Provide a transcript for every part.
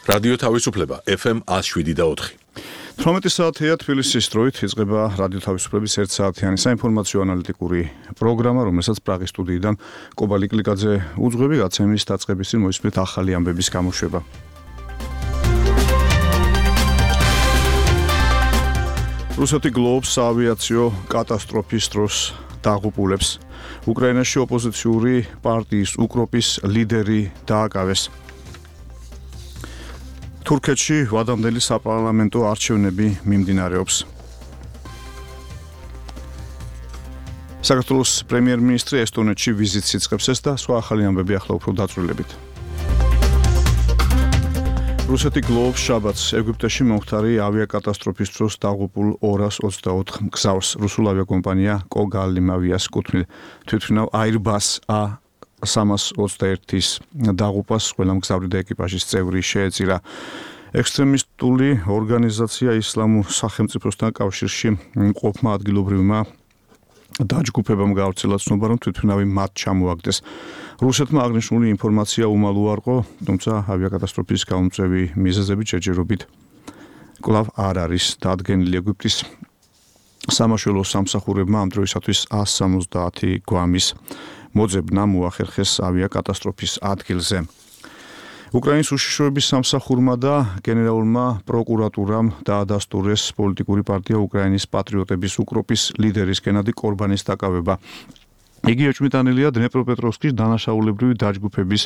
რადიო თავისუფლება FM 107.4. 18 საათია თბილისის დროით იწყება რადიო თავისუფლების 1 საათიანი საინფორმაციო ანალიტიკური პროგრამა, რომელსაც პრაღის სტუდიიდან კობალი კლიკაძე უძღვები, გაცემის დაწყების წინ მოისმენთ ახალი ამბების გამოშვება. რუსეთი გლოვობს საავიაციო კატასტროფის დროს დაღუპულებს. უკრაინაში ოპოზიციური პარტიის უკროპის ლიდერი დააკავეს. თურქეთში ვადამდელი საპარლამენტო არჩევნები მიმდინარეობს. საქართველოს პრემიერ-მინისტრი ესტონეთში ვიზიტს იწყებს და სხვა ახალი ამბები ახლა უფრო დაწვრილებით. რუსეთი გლოვობს შაბათს ეგვიპტეში მომხდარი ავიაკატასტროფის დროს დაღუპულ 224 მგზავრს. რუსულ ავიაკომპანია კოგალიმავიას კუთვნილ თვითმფრინავ Airbus A321-ის დაღუპვას ყველა მგზავრი და ეკიპაჟის წევრი შეეწირა. ექსტრემისტული ორგანიზაცია ისლამურ სახელმწიფოსთან კავშირში მყოფმა ადგილობრივმა დაჯგუფებამ გავრცელა ცნობა, რომ თვითმფრინავი მათ ჩამოაგდეს. რუსეთმა აღნიშნული ინფორმაცია უმალ უარყო, თუმცა ავიაკატასტროფის გამომწვევი მიზეზები ჯერჯერობით კვლავ არ არის დადგენილი. ეგვიპტის სამაშველო სამსახურებმა ამ დროისათვის 170 გვამის მოძებნა მოახერხეს ავიაკატასტროფის ადგილზე. უკრაინის უშიშროების სამსახურმა და გენერალურმა პროკურატურამ დაადასტურეს პოლიტიკური პარტია უკრაინის პატრიოტების უკროპის ლიდერის გენადი კორბანის დაკავება. იგი ეჭვმიტანილია დნეპროპეტროვსკის დანაშაულებრივი დაჯგუფების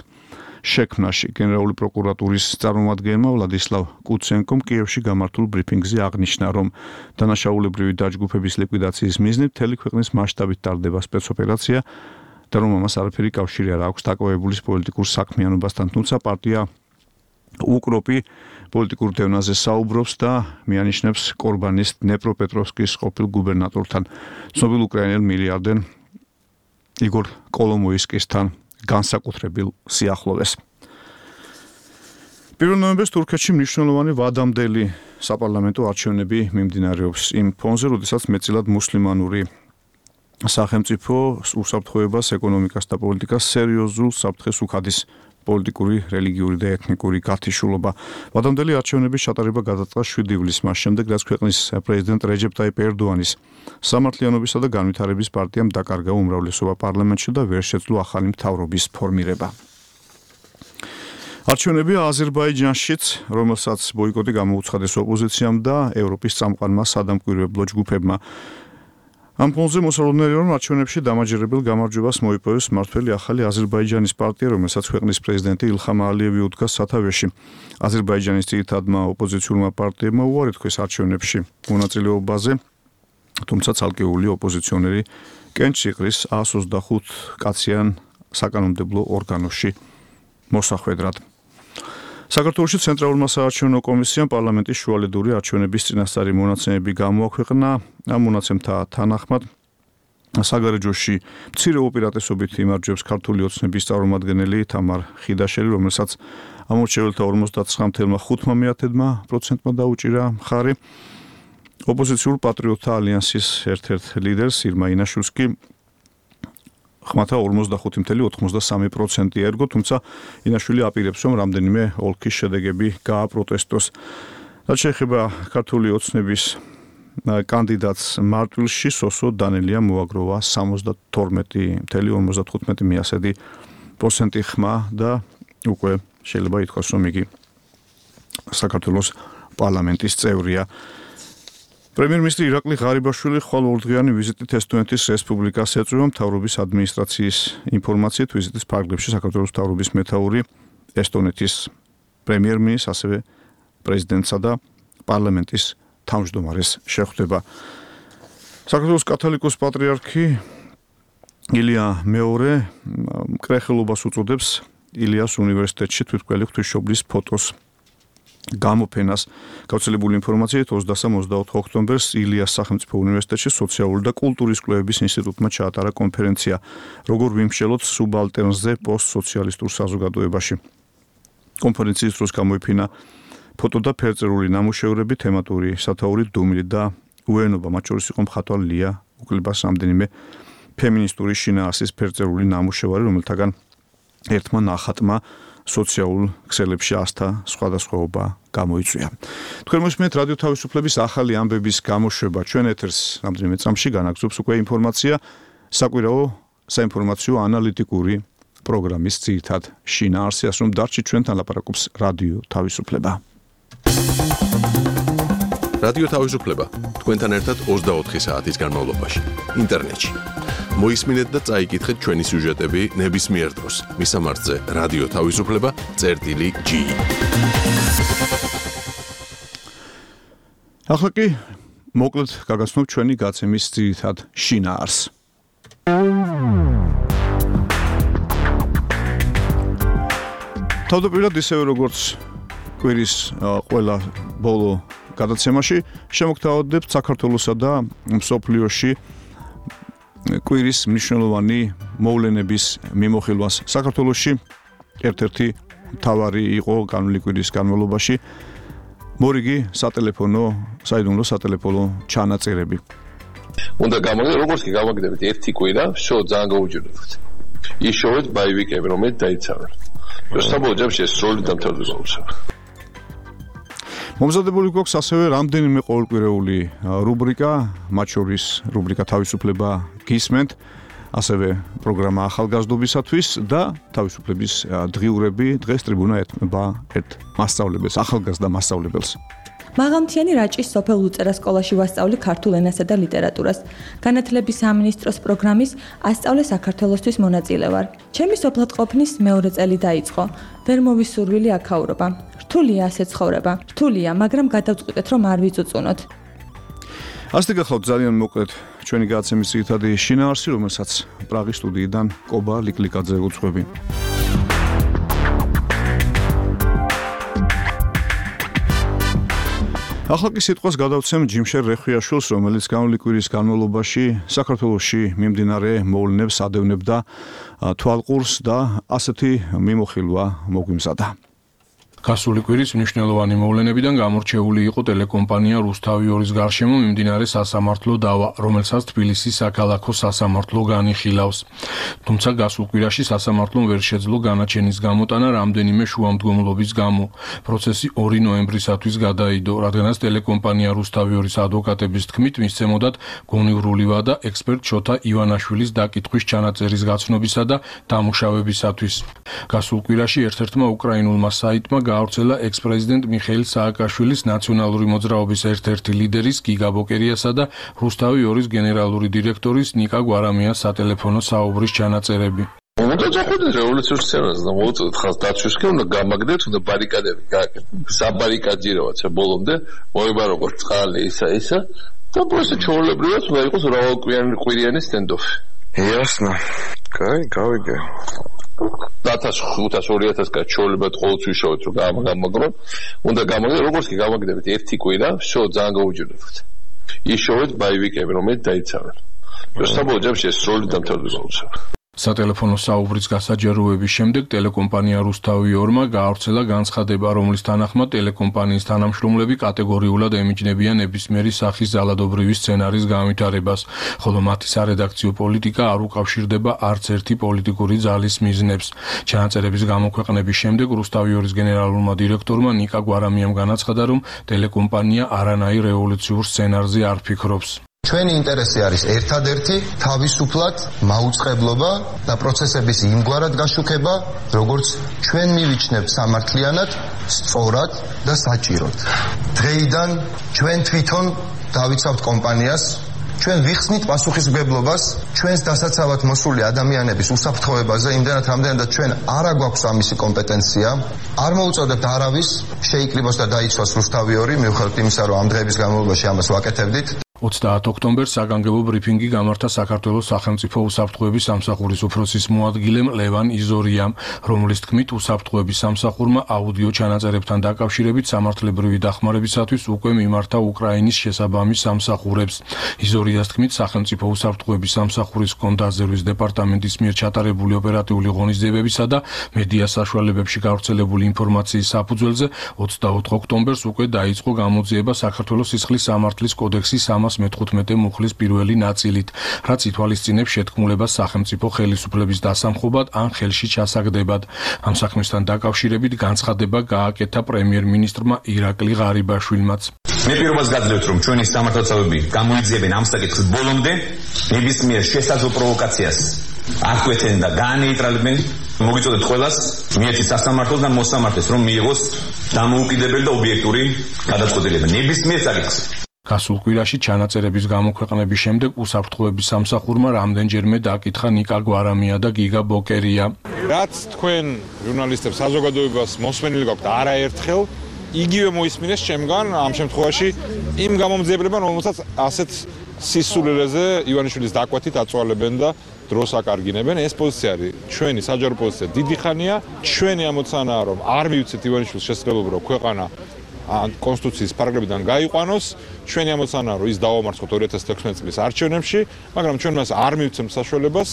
შექმნაში. გენერალური პროკურატურის წარმომადგენელმა ვლადისლავ კუცენკომ კიევში გამართულ ბრიფინგზე აღნიშნა, რომ დანაშაულებრივი დაჯგუფების ლიკვიდაციის მიზნით მთელი ქვეყნის მასშტაბით ტარდება სპეცოპერაცია და რომ ამას არაფერი კავშირი არ აქვს დაკავებულის პოლიტიკურ საქმიანობასთან, თუმცა პარტია უკროპი პოლიტიკურ დევნაზე საუბრობს და მიანიშნებს კორბანის დნეპროპეტროვსკის ყოფილ გუბერნატორთან, ცნობილ უკრაინელ მილიარდერ იგორ კოლომოისკისთან განსაკუთრებულ სიახლოვეს. 1 ნოემბერს თურქეთში მნიშვნელოვანი ვადამდელი საპარლამენტო არჩევნები მიმდინარეობს. იმ ფონზე, როდესაც მეტწილად მუსლიმანური სახელმწიფო უსაფრთხოებას, ეკონომიკას და პოლიტიკას სერიოზულ საფრთხეს უხადის პოლიტიკური, რელიგიური და ეთნიკური გათიშულობა. ვადამდელი არჩევნების ჩატარება გადაწყდა 7 ივლისს, მას შემდეგ, რაც ქვეყნის პრეზიდენტ რეჯეპ ტაიპ ერდოანის სამართლიანობისა და განვითარების პარტიამ დაკარგა უმრავლესობა პარლამენტში და ვერ შეძლო ახალი მთავრობის ფორმირება. არჩევნები აზერბაიჯანშიც, რომელსაც ბოიკოტი გამოუცხადეს ოპოზიციამ და ევროპის წამყვანმა სადამკვირვებლო ჯგუფებმა. ამ ფონზე მოსალოდნელია, რომ არჩევნებში დამაჯერებელ გამარჯვებას მოიპოვეს მმართველი ახალი აზერბაიჯანის პარტია, რომელსაც ქვეყნის პრეზიდენტი ილხამ ალიევი უდგას სათავეში. აზერბაიჯანის ძირითადმა ოპოზიციურმა პარტიებმა უარი თქვეს არჩევნებში მონაწილეობაზე, თუმცა ცალკეული ოპოზიციონერი კენჭს იყრის 125 კაციან საკანონმდებლო ორგანოში მოსახვედრად. საქართველოში ცენტრალურმა საარჩევნო კომისიამ პარლამენტის შუალედური არჩევნების წინასწარი მონაცემები გამოაქვეყნა. ამ მონაცემთა თანახმად საგარეჯოში მცირე უპირატესობით იმარჯვებს ქართული ოცნების წარმომადგენელი თამარ ხიდაშელი, რომელსაც ამორჩეველთა 59.5%-მა დაუჭირა მხარი. ოპოზიციურ პატრიოტთა ალიანსის ერთ-ერთ ლიდერს ირმა ინაშვილს კი ხმათა 45.93% ერგო, თუმცა ინაშვილი აპირებს, რომ რამდენიმე ოლქის შედეგები გააპროტესტოს. რაც შეეხება ქართული ოცნების კანდიდატს მარტვილში, სოსო დანელია მოაგროვა 72.55% ხმა და უკვე შეიძლება ითქვას, რომ იგი საქართველოს პარლამენტის წევრია. პრემიერ-მინისტრი ირაკლი ღარიბაშვილი ხვალ ორდღიანი ვიზიტით ესტონეთის რესპუბლიკას ეწვევა. მთავრობის ადმინისტრაციის ინფორმაციით ვიზიტის ფარგლებში საქართველოს მთავრობის მეთაური, ესტონეთის პრემიერ-მინისტრს, ასევე პრეზიდენტსა და პარლამენტის თავმჯდომარეს შეხვდება. საქართველოს კათოლიკოს პატრიარქი ილია მეორე მკრეხელობას უწოდებს ილიას უნივერსიტეტში თვითმკვლელი ღვთისმშობლის ფოტოს გამოფენას. გავრცელებული ინფორმაციით 23-24 ოქტომბერს ილიას სახელმწიფო უნივერსიტეტში სოციალური და კულტურის კვლევების ინსტიტუტმა ჩაატარა კონფერენცია, როგორ ვიმსჯელოთ სუბალტერნზე პოსტსოციალისტურ საზოგადოებაში. კონფერენციის დროს გამოიფინა ფოტო და ფერწერული ნამუშევრები, თემატური სათაური დუმილი და უენობა, მათ შორის იყო მხატვარ ლია უკლებას რამდენიმე ფემინისტური შინაარსის ფერწერული ნამუშევარი, რომელთაგან ერთმა ნახატმა სოციალურ ქსელებში ასთა სხვადასხვაობა გამოიწვია. თქვენ მოსმენთ რადიო თავისუფლების ახალი ამბების გამოშვება. ჩვენ ეთერს რამდენიმე წამში განაგზობს უკვე ინფორმაცია საკვირაო საინფორმაციო ანალიტიკური პროგრამის ძირითად შინაარსი, ასე რომ დარჩით ჩვენთან ლაპარაკობს რადიო თავისუფლება. რადიო თავისუფლება თქვენთან ერთად 24 საათის განმავლობაში ინტერნეტში. მოისმინეთ და წაიკითხეთ ჩვენი სიუჟეტები ნებისმიერ დროს მისამართზე რადიო თავისუფლება.gi. ახლა კი მოკლედ გაგაცნობ ჩვენი გაცემის ძირითად შინაარსს. თავდაპირველად ისევე როგორც კვირის ყველა ბოლო გადაცემაში შემოგთავაზებთ საქართველოსა და მსოფლიოში კვირის მნიშვნელოვანი მოვლენების მიმოხილვას. საქართველოში ერთ-ერთი მთავარი იყო განვლილი კვირის განმავლობაში მორიგი საიდუმლო სატელეფონო ჩანაწერები. უნდა გამოგდეთ, როგორც კი გამოგდებით ერთი კვირა, შოუ ძალიან გაუჯერებთ. ის შოუით ბაივიკები, რომელიც დაიცავენ. საბოლოო ჯამში ეს სრული დამთავრდა. მომზადებული გვაქვს ასევე რამდენიმე ყოველკვირეული რუბრიკა, მათ შორის რუბრიკა თავისუფლება გისმენთ, ასევე პროგრამა ახალგაზრდობისათვის და თავისუფლების დღიურები. დღეს ტრიბუნა ეთმობა ერთ მასწავლებელს, ახალგაზრდა მასწავლებელს. მაღალმთიანი რაჭის სოფელ ლუწერა სკოლაში ვასწავლი ქართულ ენასა და ლიტერატურას. განათლების სამინისტროს პროგრამის ასწავლე საქართველოსთვის მონაწილე ვარ. ჩემი სოფლად ყოფნის მეორე წელი დაიწყო. ვერ მოვისურვილი აქაურობა. რთულია ასე ცხოვრება. რთულია, მაგრამ გადავწყვიტეთ, რომ არ ვიწუწუნოთ. ასე გახლავთ ძალიან მოკლედ ჩვენი გადაცემის ძირითადი შინაარსი, რომელსაც პრაღის სტუდიიდან კობა ლიკლიკაძე უძღვები. ახლა კი სიტყვას გადავცემ ჯიმშერ რეხვიაშვილს, რომელიც განვლილი კვირის განმავლობაში საქართველოში მიმდინარე მოვლენებს ადევნებდა თვალყურს და ასეთი მიმოხილვა მოგვიმზადა. გასული კვირის მნიშვნელოვანი მოვლენებიდან გამორჩეული იყო ტელეკომპანია რუსთავი 2-ის გარშემო მიმდინარე სასამართლო დავა, რომელსაც თბილისის საქალაქო სასამართლო განიხილავს. თუმცა გასულ კვირაში სასამართლომ ვერ შეძლო განაჩენის გამოტანა რამდენიმე შუამდგომლობის გამო. პროცესი 2 ნოემბრისათვის გადაიდო, რადგანაც ტელეკომპანია რუსთავი 2-ის ადვოკატების თქმით მისცემოდათ გონივრული ვადა ექსპერტ შოთა ივანაშვილის დაკითხვის ჩანაწერის გაცნობისა და დამუშავებისათვის. გასულ კვირაში ერთ-ერთმა უკრაინულმა საიტმა გაავრცელა ექს-პრეზიდენტ მიხეილ სააკაშვილის ნაციონალური მოძრაობის ერთ-ერთი ლიდერის გიგა ბოკერიასა და რუსთავი 2-ის გენერალური დირექტორის ნიკა გვარამიას სატელეფონო საუბრის ჩანაწერები. უნდა წახვიდეთ რევოლუციურ სცენაზე და მოვუწოდეთ ხალხს დაცვისკენ, უნდა გამაგდეთ, უნდა ბარიკადები გააკეთოთ. საბარიკაჯიროაც ბოლომდე მოება როგორც წყალი ისა და პროსე ჩაოლებრივად უნდა იყოს მრავალკვირიანი სტენდოფი. Ясно. Кай, გავიგე. 1500-2000 კაც ჩაოლებად ყოველთვის ვიშოვეთ, რომ გამაგდეთ, უნდა გამაგდეთ, როგორც კი გამაგდებით ერთი კვირა, შოუ ძალიან გაუჯერებთ. ის შოუით ბაივიკები, რომელიც დაიცავენ. საბოლოო ჯამში ეს სრული დამთავრდა. სატელეფონო საუბრის გასაჯაროების შემდეგ ტელეკომპანია რუსთავი 2-მა გაავრცელა განცხადება, რომლის თანახმად ტელეკომპანიის თანამშრომლები კატეგორიულად ემიჯნებიან ნებისმიერი სახის ძალადობრივი სცენარის განვითარებას, ხოლო მათი სარედაქციო პოლიტიკა არ უკავშირდება არც ერთი პოლიტიკური ძალის მიზნებს. ჩანაწერების გამოქვეყნების შემდეგ რუსთავი 2-ის გენერალურმა დირექტორმა ნიკა გვარამიამ განაცხადა, რომ ტელეკომპანია არანაირ რევოლუციურ სცენარზე არ ფიქრობს. ჩვენი ინტერესი არის ერთადერთი თავისუფლად მაუწყებლობა და პროცესების იმგვარად გაშუქება, როგორც ჩვენ მივიჩნევთ სამართლიანად, სწორად და საჭიროდ. დღეიდან ჩვენ თვითონ დავიცავთ კომპანიას, ჩვენ ვიხსნით პასუხისმგებლობას ჩვენს დასაცავად მოსული ადამიანების უსაფრთხოებაზე, იმდენად რამდენადაც ჩვენ არ აგვაქვს ამისი კომპეტენცია, არ მოუწოდებთ არავის შეიკრიბოს და დაიცვას რუსთავი 2, მიუხედავად იმისა, რომ ამ დღეების განმავლობაში ამას ვაკეთებდით. 30 ოქტომბერს საგანგებო ბრიფინგი გამართა საქართველოს სახელმწიფო უსაფრთხოების სამსახურის უფროსის მოადგილემ ლევან იზორიამ, რომლის თქმით უსაფრთხოების სამსახურმა აუდიო ჩანაწერებთან დაკავშირებით სამართლებრივი დახმარებისათვის უკვე მიმართა უკრაინის შესაბამის სამსახურებს. იზორიას თქმით, სახელმწიფო უსაფრთხოების სამსახურის კონტრდაზერვის დეპარტამენტის მიერ ჩატარებული ოპერატიული ღონისძიებებისა და მედია საშუალებებში გავრცელებული ინფორმაციის საფუძველზე 24 ოქტომბერს უკვე დაიწყო გამოძიება საქართველოს სისხლის სამართლის კოდექსის 315 მუხლის პირველი ნაწილით, რაც ითვალისწინებს შეთქმულებას სახელმწიფო ხელისუფლების დასამხობად ან ხელში ჩასაგდებად. ამ საქმესთან დაკავშირებით განცხადება გააკეთა პრემიერ-მინისტრმა ირაკლი ღარიბაშვილმაც. მე პირობას გაძლევთ, რომ ჩვენი სამართალდამცავები გამოიძიებენ ამ საკითხის ბოლომდე ნებისმიერ შესაძლო პროვოკაციას აკვეთენ და გაანეიტრალებენ. მოგიწოდეთ ყველას მიერთით სასამართლოს და მოსამართლეს, რომ მიიღოს დამოუკიდებელი და ობიექტური გადაწყვეტილება ნებისმიერ საკითხზე. გასულ კვირაში ჩანაწერების გამოქვეყნების შემდეგ უსაფრთხოების სამსახურმა რამდენჯერმე დაკითხა ნიკა გვარამია და გიგა ბოკერია. რაც თქვენ ჟურნალისტებს საზოგადოებას მოსმენილი გაქვთ არაერთხელ, იგივე მოისმინეს ჩემგან ამ შემთხვევაში იმ გამომძიებლებმა, რომელსაც ასეთ სისულელეზე ივანიშვილის დაკვეთით აწვალებენ და დროს აკარგინებენ. ეს პოზიცია არის ჩვენი საჯარო პოზიცია დიდი ხანია. ჩვენი ამოცანაა, რომ არ მივცეთ ივანიშვილის შესაძლებლობა, რომ ქვეყანა კონსტიტუციის პარაგრაფიდან გაიყვანოს. ჩვენი ამოცანაა, რომ ის დავამარცხოთ 2016 წლის არჩევნებში, მაგრამ ჩვენ მას არ მივცემთ საშუალებას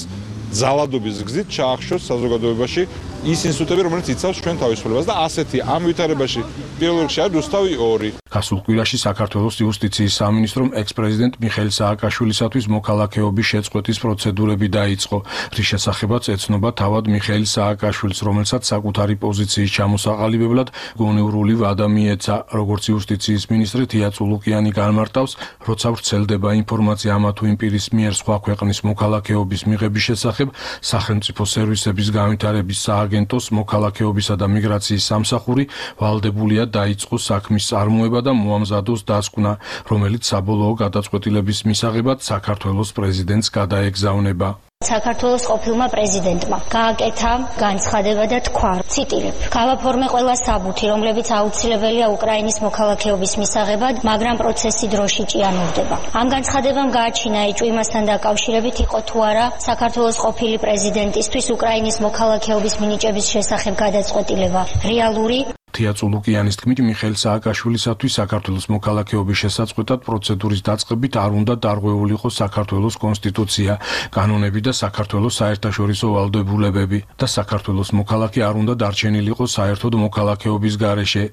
ძალადობის გზით ჩაახშოს საზოგადოებაში ის ინსტიტუტები, რომელიც იცავს ჩვენ თავისუფლებას და ასეთი ამ ვითარებაში პირველ რიგში არის რუსთავი 2. გასულ კვირაში საქართველოს იუსტიციის სამინისტრომ ექს-პრეზიდენტ მიხეილ სააკაშვილისათვის მოქალაქეობის შეწყვეტის პროცედურები დაიწყო, რის შესახებაც ეცნობა თავად მიხეილ სააკაშვილს, რომელსაც საკუთარი პოზიციის ჩამოსაყალიბებლად გონევრული ვადა მიეცა. როგორც იუსტიციის მინისტრი თია წულუკიანი განმარტავს, როცა ვრცელდება ინფორმაცია ამა თუ იმ პირის მიერ სხვა ქვეყნის მოქალაქეობის მიღების შესახებ, სახელმწიფო სერვისების განვითარების სააგენტოს მოქალაქეობისა და მიგრაციის სამსახური ვალდებულია დაიწყოს საქმის წარმოება და მოამზადოს დასკვნა, რომელიც საბოლოო გადაწყვეტილების მისაღებად საქართველოს პრეზიდენტს გადაეგზავნება. საქართველოს ყოფილმა პრეზიდენტმა გააკეთა განცხადება და თქვა, ციტირებ: "გავაფორმე ყველა საბუთი, რომლებიც აუცილებელია უკრაინის მოქალაქეობის მისაღებად, მაგრამ პროცესი დროში ჭიანურდება." ამ განცხადებამ გააჩინა ეჭვი იმასთან დაკავშირებით, იყო თუ არა საქართველოს ყოფილი პრეზიდენტისთვის უკრაინის მოქალაქეობის მინიჭების შესახებ გადაწყვეტილება რეალური. თია წულუკიანის თქმით, მიხეილ სააკაშვილისათვის საქართველოს მოქალაქეობის შესაწყვეტად პროცედურის დაწყებით არ უნდა დარღვეულიყო საქართველოს კონსტიტუცია, კანონები და საქართველოს საერთაშორისო ვალდებულებები და საქართველოს მოქალაქე არ უნდა დარჩენილიყო საერთოდ მოქალაქეობის გარეშე.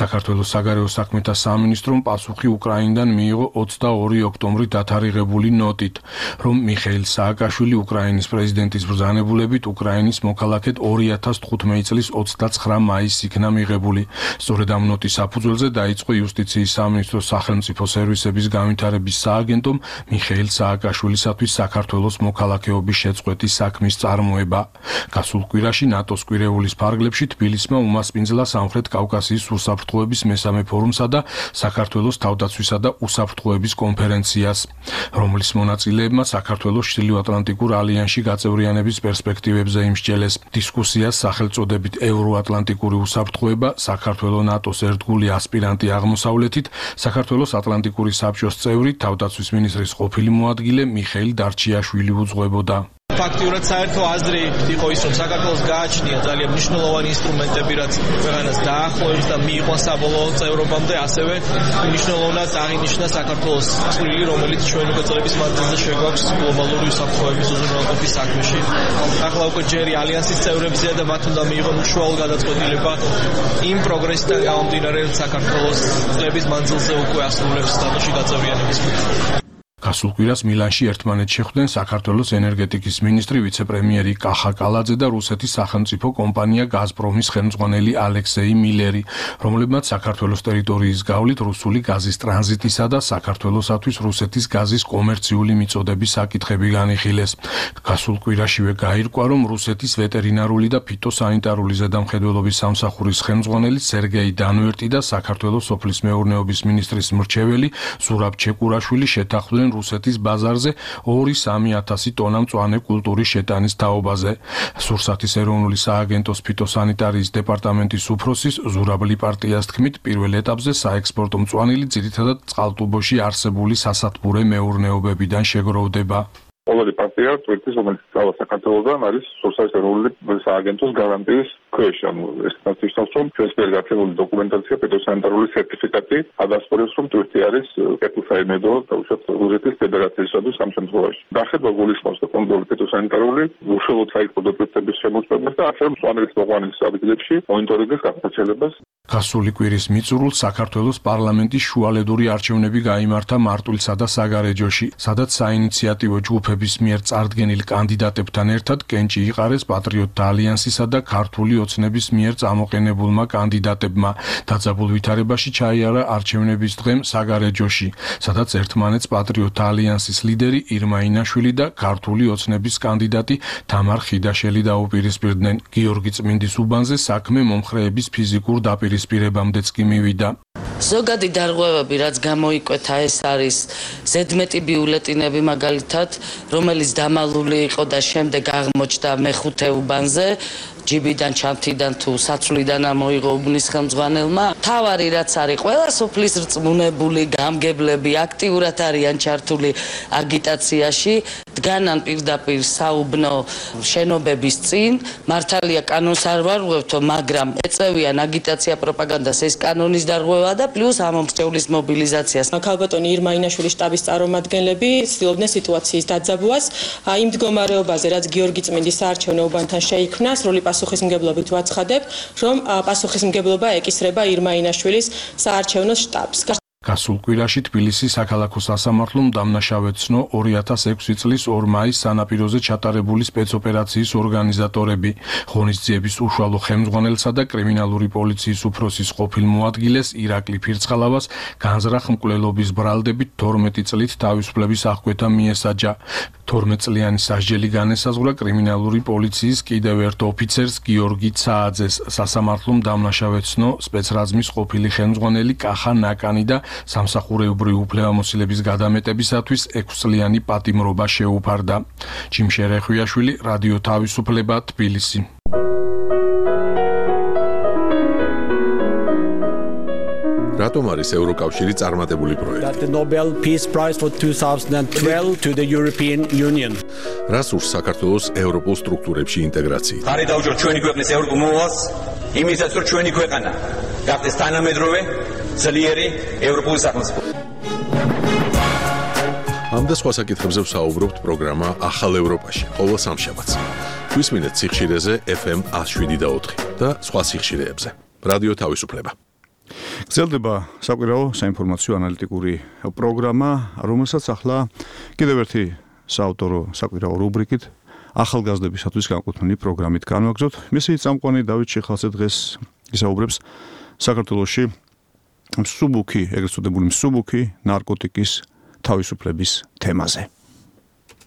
საქართველოს საგარეო საქმეთა სამინისტრომ პასუხი უკრაინიდან მიიღო 22 ოქტომბრი დათარიღებული ნოტით, რომ მიხეილ სააკაშვილი უკრაინის პრეზიდენტის ბრძანებულებით უკრაინის მოქალაქედ 2015 წლის 29 მაისს იქნა მიღებული. სწორედ ამ ნოტის საფუძველზე დაიწყო იუსტიციის სამინისტროს სახელმწიფო სერვისების განვითარების სააგენტომ მიხეილ სააკაშვილისათვის საქართველოს მოქალაქეობის შეწყვეტის საქმის წარმოება. გასულ კვირაში ნატოს კვირეულის ფარგლებში თბილისმა უმასპინძლა სამხრეთ კავკასიის უსაფრთხოების მესამე ფორუმსა და საქართველოს თავდაცვისა და უსაფრთხოების კონფერენციას, რომლის მონაწილეებმა საქართველოს ჩრდილოატლანტიკურ ალიანსში გაწევრიანების პერსპექტივებზე იმსჯელეს. დისკუსიას სახელწოდებით ევროატლანტიკური უსაფრთხოება, საქართველოს ნატოს ერთგული ასპირანტი აღმოსავლეთით, საქართველოს ატლანტიკური საბჭოს წევრი, თავდაცვის მინისტრის ყოფილი მოადგილე მიხეილ დარჩიაშვილი უძღვებოდა. ფაქტიურად საერთო აზრი იყო ის, რომ საქართველოს გააჩნია ძალიან მნიშვნელოვანი ინსტრუმენტები, რაც ქვეყანას დაახლოებს და მიიყვანს საბოლოო წევრობამდე, ასევე მნიშვნელოვნად აღინიშნა საქართველოს წვლილი, რომელიც ჩვენი მოწოდების მანძილზე შეგვაქვს გლობალური უსაფრთხოების უზრუნველყოფის საქმეში. ახლა უკვე ჯერი ალიანსის წევრებზეა და მათ უნდა მიიღონ უშუალო გადაწყვეტილება იმ პროგრესიდან გამომდინარე, რომ საქართველოს წლების მანძილზე უკვე ასრულებს ნატოში გაწევრიანების მიზნს. გასულ კვირას მილანში ერთმანეთს შეხვდნენ საქართველოს ენერგეტიკის მინისტრი, ვიცე-პრემიერი კახა კალაძე და რუსეთის სახელმწიფო კომპანია გაზპრომის ხელმძღვანელი ალექსეი მილერი, რომლებმაც საქართველოს ტერიტორიის გავლით რუსული გაზის ტრანზიტისა და საქართველოსათვის რუსეთის გაზის კომერციული მიწოდების საკითხები განიხილეს. გასულ კვირაშივე გაირკვა, რომ რუსეთის ვეტერინარული და ფიტოსანიტარული ზედამხედველობის სამსახურის ხელმძღვანელი სერგეი დანვერტი და საქართველოს სოფლის მეურნეობის მინისტრის მრჩეველი ზურაბ ჩეკურაშვილი შეთანხმდნენ რუსეთის ბაზარზე 2-3 ტონა მწვანე კულტურის შეტანის თაობაზე. სურსათის ეროვნული სააგენტოს ფიტოსანიტარიის დეპარტამენტის უფროსის ზურაბ ლიპარტიას თქმით, პირველ ეტაპზე საექსპორტო მწვანილი ძირითადად წყალტუბოში არსებული სასათბურე მეურნეობებიდან შეგროვდება. ყოველი პარტია ტვირთის, რომელიც წავა საქართველოსთან, არის სურსათის ეროვნული სააგენტოს გარანტიის ქვეშ. ეს ნაცისტოს რომ ჩვენს მიერ გაცემული დოკუმენტაცია, ფიტოსანიტარული სერტიფიკატი ადასტურებს, რომ ტვირთი არის კეთილსაიმედო და უშუალოდ რუსეთის ფედერაციისათვის ამ შემთხვევაში. დახედვა გულისხმობს და კონტროლი ფიტოსანიტარული უშუალოდ საექსპორტო ტვირთების შემოწმებას და ასევე მწვანელის მოყვანის ადგილებში მონიტორინგის გასაჩელებას. გასული კვირის მიწურულს საქართველოს პარლამენტის შუალედური არჩევნები გაიმართა მარტვილსა და საგარეჯოში, სადაც საინიციატივო ჯგუფების მიერ წარდგენილ კანდიდატებთან ერთად კენჭი იყარეს პატრიოტთა ალიანსისა და ქართული ოცნების მიერ წამოყენებულმა კანდიდატებმა. დაძაბულ ვითარებაში ჩაიარა არჩევნების დღემ საგარეჯოში, სადაც ერთმანეთს პატრიოტთა ალიანსის ლიდერი ირმა ინაშვილი და ქართული ოცნების კანდიდატი თამარ ხიდაშელი დაუპირისპირდნენ. გიორგი წმინდის უბანზე საქმე მომხრეების ფიზიკურ დაპირისპირებამდეც კი მივიდა. ზოგადი დარღვევები, რაც გამოიკვეთა, ეს არის ზედმეტი ბიულეტინები მაგალითად, რომელიც დამალული იყო და შემდეგ აღმოჩნდა მეხუთე უბანზე. ჯიბიდან, ჩანთიდან თუ საცვლიდან ამოიღო უბნის ხელმძღვანელმა. თავარი რაც არის, ყველა სოფლის რწმუნებული გამგებლები აქტიურად არიან ჩართული აგიტაციაში, დგანან პირდაპირ საუბნო შენობების წინ. მართალია კანონს არ ვარღვევთო, მაგრამ ეწევიან აგიტაცია პროპაგანდას, ეს კანონის დარღვევა და პლუს ამომრჩევლის მობილიზაციას. ქალბატონი ირმა ინაშვილის შტაბის წარმომადგენლები ცდილობდნენ სიტუაციის დაძაბვას. იმ მდგომარეობაზე, რაც გიორგი წმინდის საარჩევნო უბანთან შეიქმნა, სრული პასუხისმგებლობით ვაცხადებ, რომ პასუხისმგებლობა ეკისრება ირმა ინაშვილის საარჩევნო შტაბს. გასულ კვირაში თბილისის საქალაქო სასამართლომ დამნაშავე ცნო 2006 წლის 2 მაის სანაპიროზე ჩატარებული სპეცოპერაციის ორგანიზატორები. ღონისძიების უშუალო ხელმძღვანელსა და კრიმინალური პოლიციის უფროსის ყოფილ მოადგილეს ირაკლი ფირცხალავას განზრახ მკვლელობის ბრალდებით 12 წლით თავისუფლების აღკვეთა მიესაჯა. 12 წლიანი სასჯელი განესაზღვრა კრიმინალური პოლიციის კიდევ ერთ ოფიცერს გიორგი ცააძეს. სასამართლომ დამნაშავე ცნო სპეცრაზმის ყოფილი ხელმძღვანელი კახა ნაკანი და სამსახურეობრივი უფლებამოსილების გადამეტებისათვის 6 წლიანი პატიმრობა შეუფარდა. ჯიმშე რეხვიაშვილი, რადიო თავისუფლება, თბილისი. რატომ არის ევროკავშირი წარმატებული პროექტი? The Nobel Peace Prize for 2012 to the European Union. რას ურს საქართველოს ევროპულ სტრუქტურებში ინტეგრაციით? ხარი დაუჭიროთ ჩვენი ქვეყნის ევროპულ მოვალს, იმისაც რომ ჩვენი ქვეყანა გახდეს თანამედროვე ძლიერი ევროპული სახელმწიფო. ამ და სხვა საკითხებზე ვსაუბრობთ პროგრამა ახალ ევროპაში, ყოველ სამშაბათს. გვისმინეთ სიხშირეზე FM 107.4 და სხვა სიხშირეებზე. რადიო თავისუფლება. გრძელდება საკვირაო საინფორმაციო ანალიტიკური პროგრამა, რომელსაც ახლა კიდევ ერთი საავტორო საკვირაო რუბრიკით ახალგაზრდებისათვის განკუთვნილი პროგრამით განვაგრძოთ. მისი წამყვანი დავით შეხალცე დღეს ისაუბრებს საქართველოში მსუბუქი, ეგრეთ წოდებული მსუბუქი ნარკოტიკის თავისუფლების თემაზე.